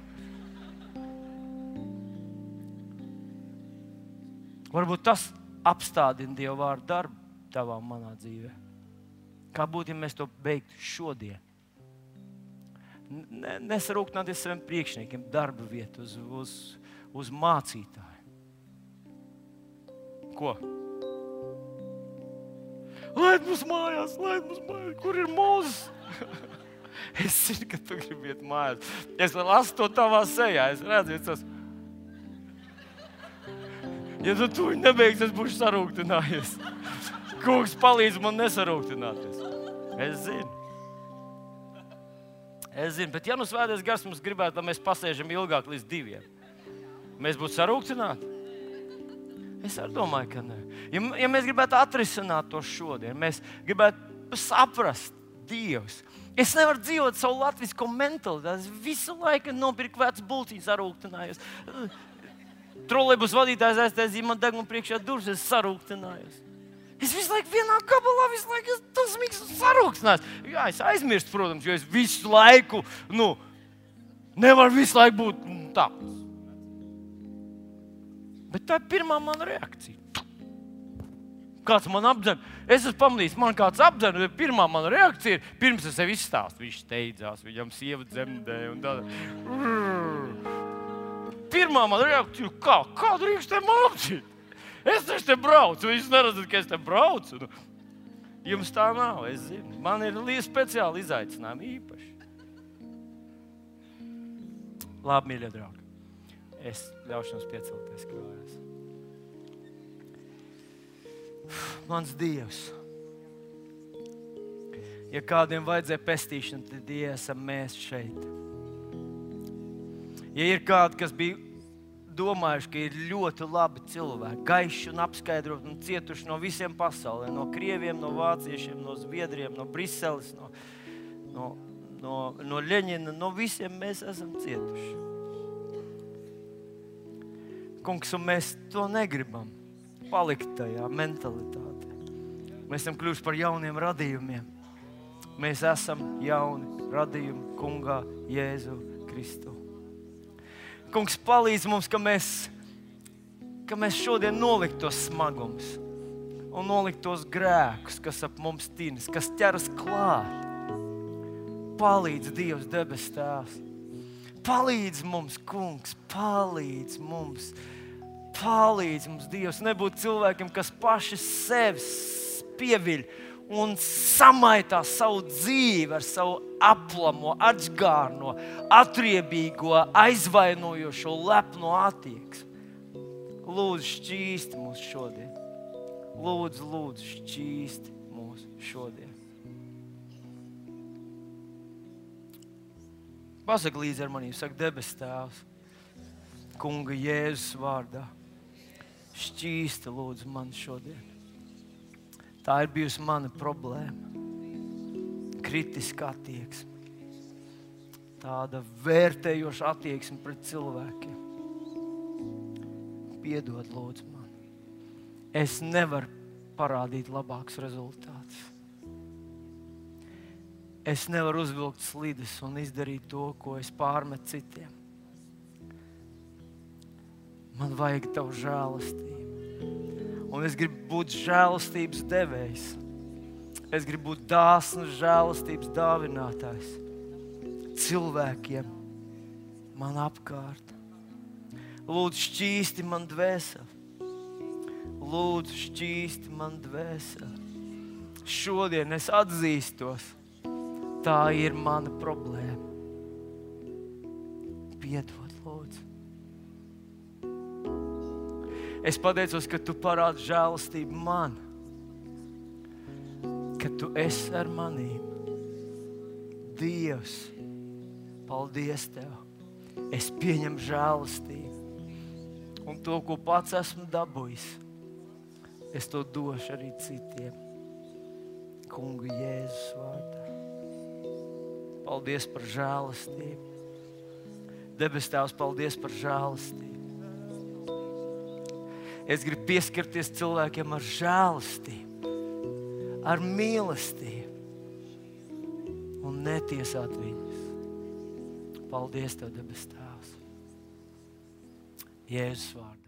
Varbūt tas apstādina Dieva vārdu darbu tavā un manā dzīvē. Kā būtu, ja mēs to beigtu šodien? Nesarūktināties saviem priekšniekiem, darba vietu, uz mācītāju. Ko? Laid mums mājās, kur ir Mūzes? Es zinu, ka tu gribi iet mājās. Es lasu to tavā sejā, es redzu, tas. Ja tu viņu nebeigsi, es būšu sarūktinājies. Kungs palīdz man nesarūktināties. Es zinu, bet ja nu Svētais Gars mums gribētu, lai mēs pasēžam ilgāk līdz 2, mēs būtu sarūktināti? Es arī domāju, ka ne. Ja mēs gribētu atrisināt to šodien, mēs gribētu saprast Dievs. Es nevaru dzīvot savu latvisko mentalitāti. Es visu laiku nopirku vecu bulciņu, sarūktinājos. Trolejbus vadītājs aiztaisīja man degunu priekšā durvis, es sarūktinājos. Es visu laiku vienā gabalā, visu laiku tas esmu sarūktinājos. Jā, es aizmirstu, protams, jo es visu laiku, nevaru visu laiku būt tāds. Bet tā ir pirmā mana reakcija. Kāds man apdzen, es esmu pamanījis, man kāds apdzen, bet pirmā mana reakcija ir, pirms es sev izstāstu, viņš steidzās, viņam sieva dzemdēja un tāda. Pirmā mana reakcija ir, kā drīkst te man apdzīt? Es taču te braucu, viņš neredzat, ka es te braucu. Jums tā nav, es zinu. Man ir speciāli izaicinājumi īpaši. Labi, mīļie draugi. Es ļaušu jums piecelties kājās. Mans Dievs. Ja kādiem vajadzēja pestīšanu, tad esam mēs šeit. Ja ir kādi, kas bija domājuši, ka ir ļoti labi cilvēki, gaiši un apskaidroti un cietuši no visiem pasaulē, no krieviem, no vāciešiem, no zviedriem, no Briseles, no Ļeņina, no visiem mēs esam cietuši. Kungs, un mēs to negribam palikt tajā mentalitātē. Mēs esam kļuvuši par jauniem radījumiem. Mēs esam jauni radījumi Kungā Jēzu Kristu. Kungs, palīdz mums, ka mēs šodien nolikt tos smagumus un nolikt tos grēkus, kas ap mums tinas, kas ķeras klāt. Palīdz Dievs, debes Tēvs. Palīdz mums, Kungs, palīdz mums. Palīdz mums, Dievs, nebūt cilvēkiem, kas paši sevi pieviļ un samaitā savu dzīvi ar savu aplamo, atžgārno, atriebīgo, aizvainojošo, lepno attieksmi. Lūdzu, šķīsti mūs šodien. Lūdzu, šķīsti mūs šodien. Pasaka līdzi ar manī, saka debes Tēvs, Kunga Jēzus vārdā. Šķīsti lūdzu man šodien. Tā ir bijusi mana problēma. Kritiska attieksme. Tāda vērtējoša attieksme pret cilvēkiem. Piedod lūdzu man. Es nevaru parādīt labākus rezultātus. Es nevaru uzvilkt slides un izdarīt to, ko es pārmetu citiem. Man vajag tavu žēlastību. Un es gribu būt žēlastības devējs. Es gribu būt dāsns žēlastības dāvinātājs cilvēkiem man apkārt. Lūdzu, šķīsti man dvēseli. Lūdzu, šķīsti man dvēseli. Šodien es atzīstos, tā ir mana problēma. Piedod, lūdzu. Es pateicos, ka tu parādi žēlastību man, ka tu esi ar manīm. Dievs, paldies Tev. Es pieņemu žēlastību un to, ko pats esmu dabūjis, es to došu arī citiem. Kunga Jēzus vārdā. Paldies par žēlastību. Debes Tēvs, paldies par žēlastību. Es gribu pieskarties cilvēkiem ar žēlastību, ar mīlestību un netiesāt viņus. Paldies Tev, debes Tēvs. Jēzus vārdā.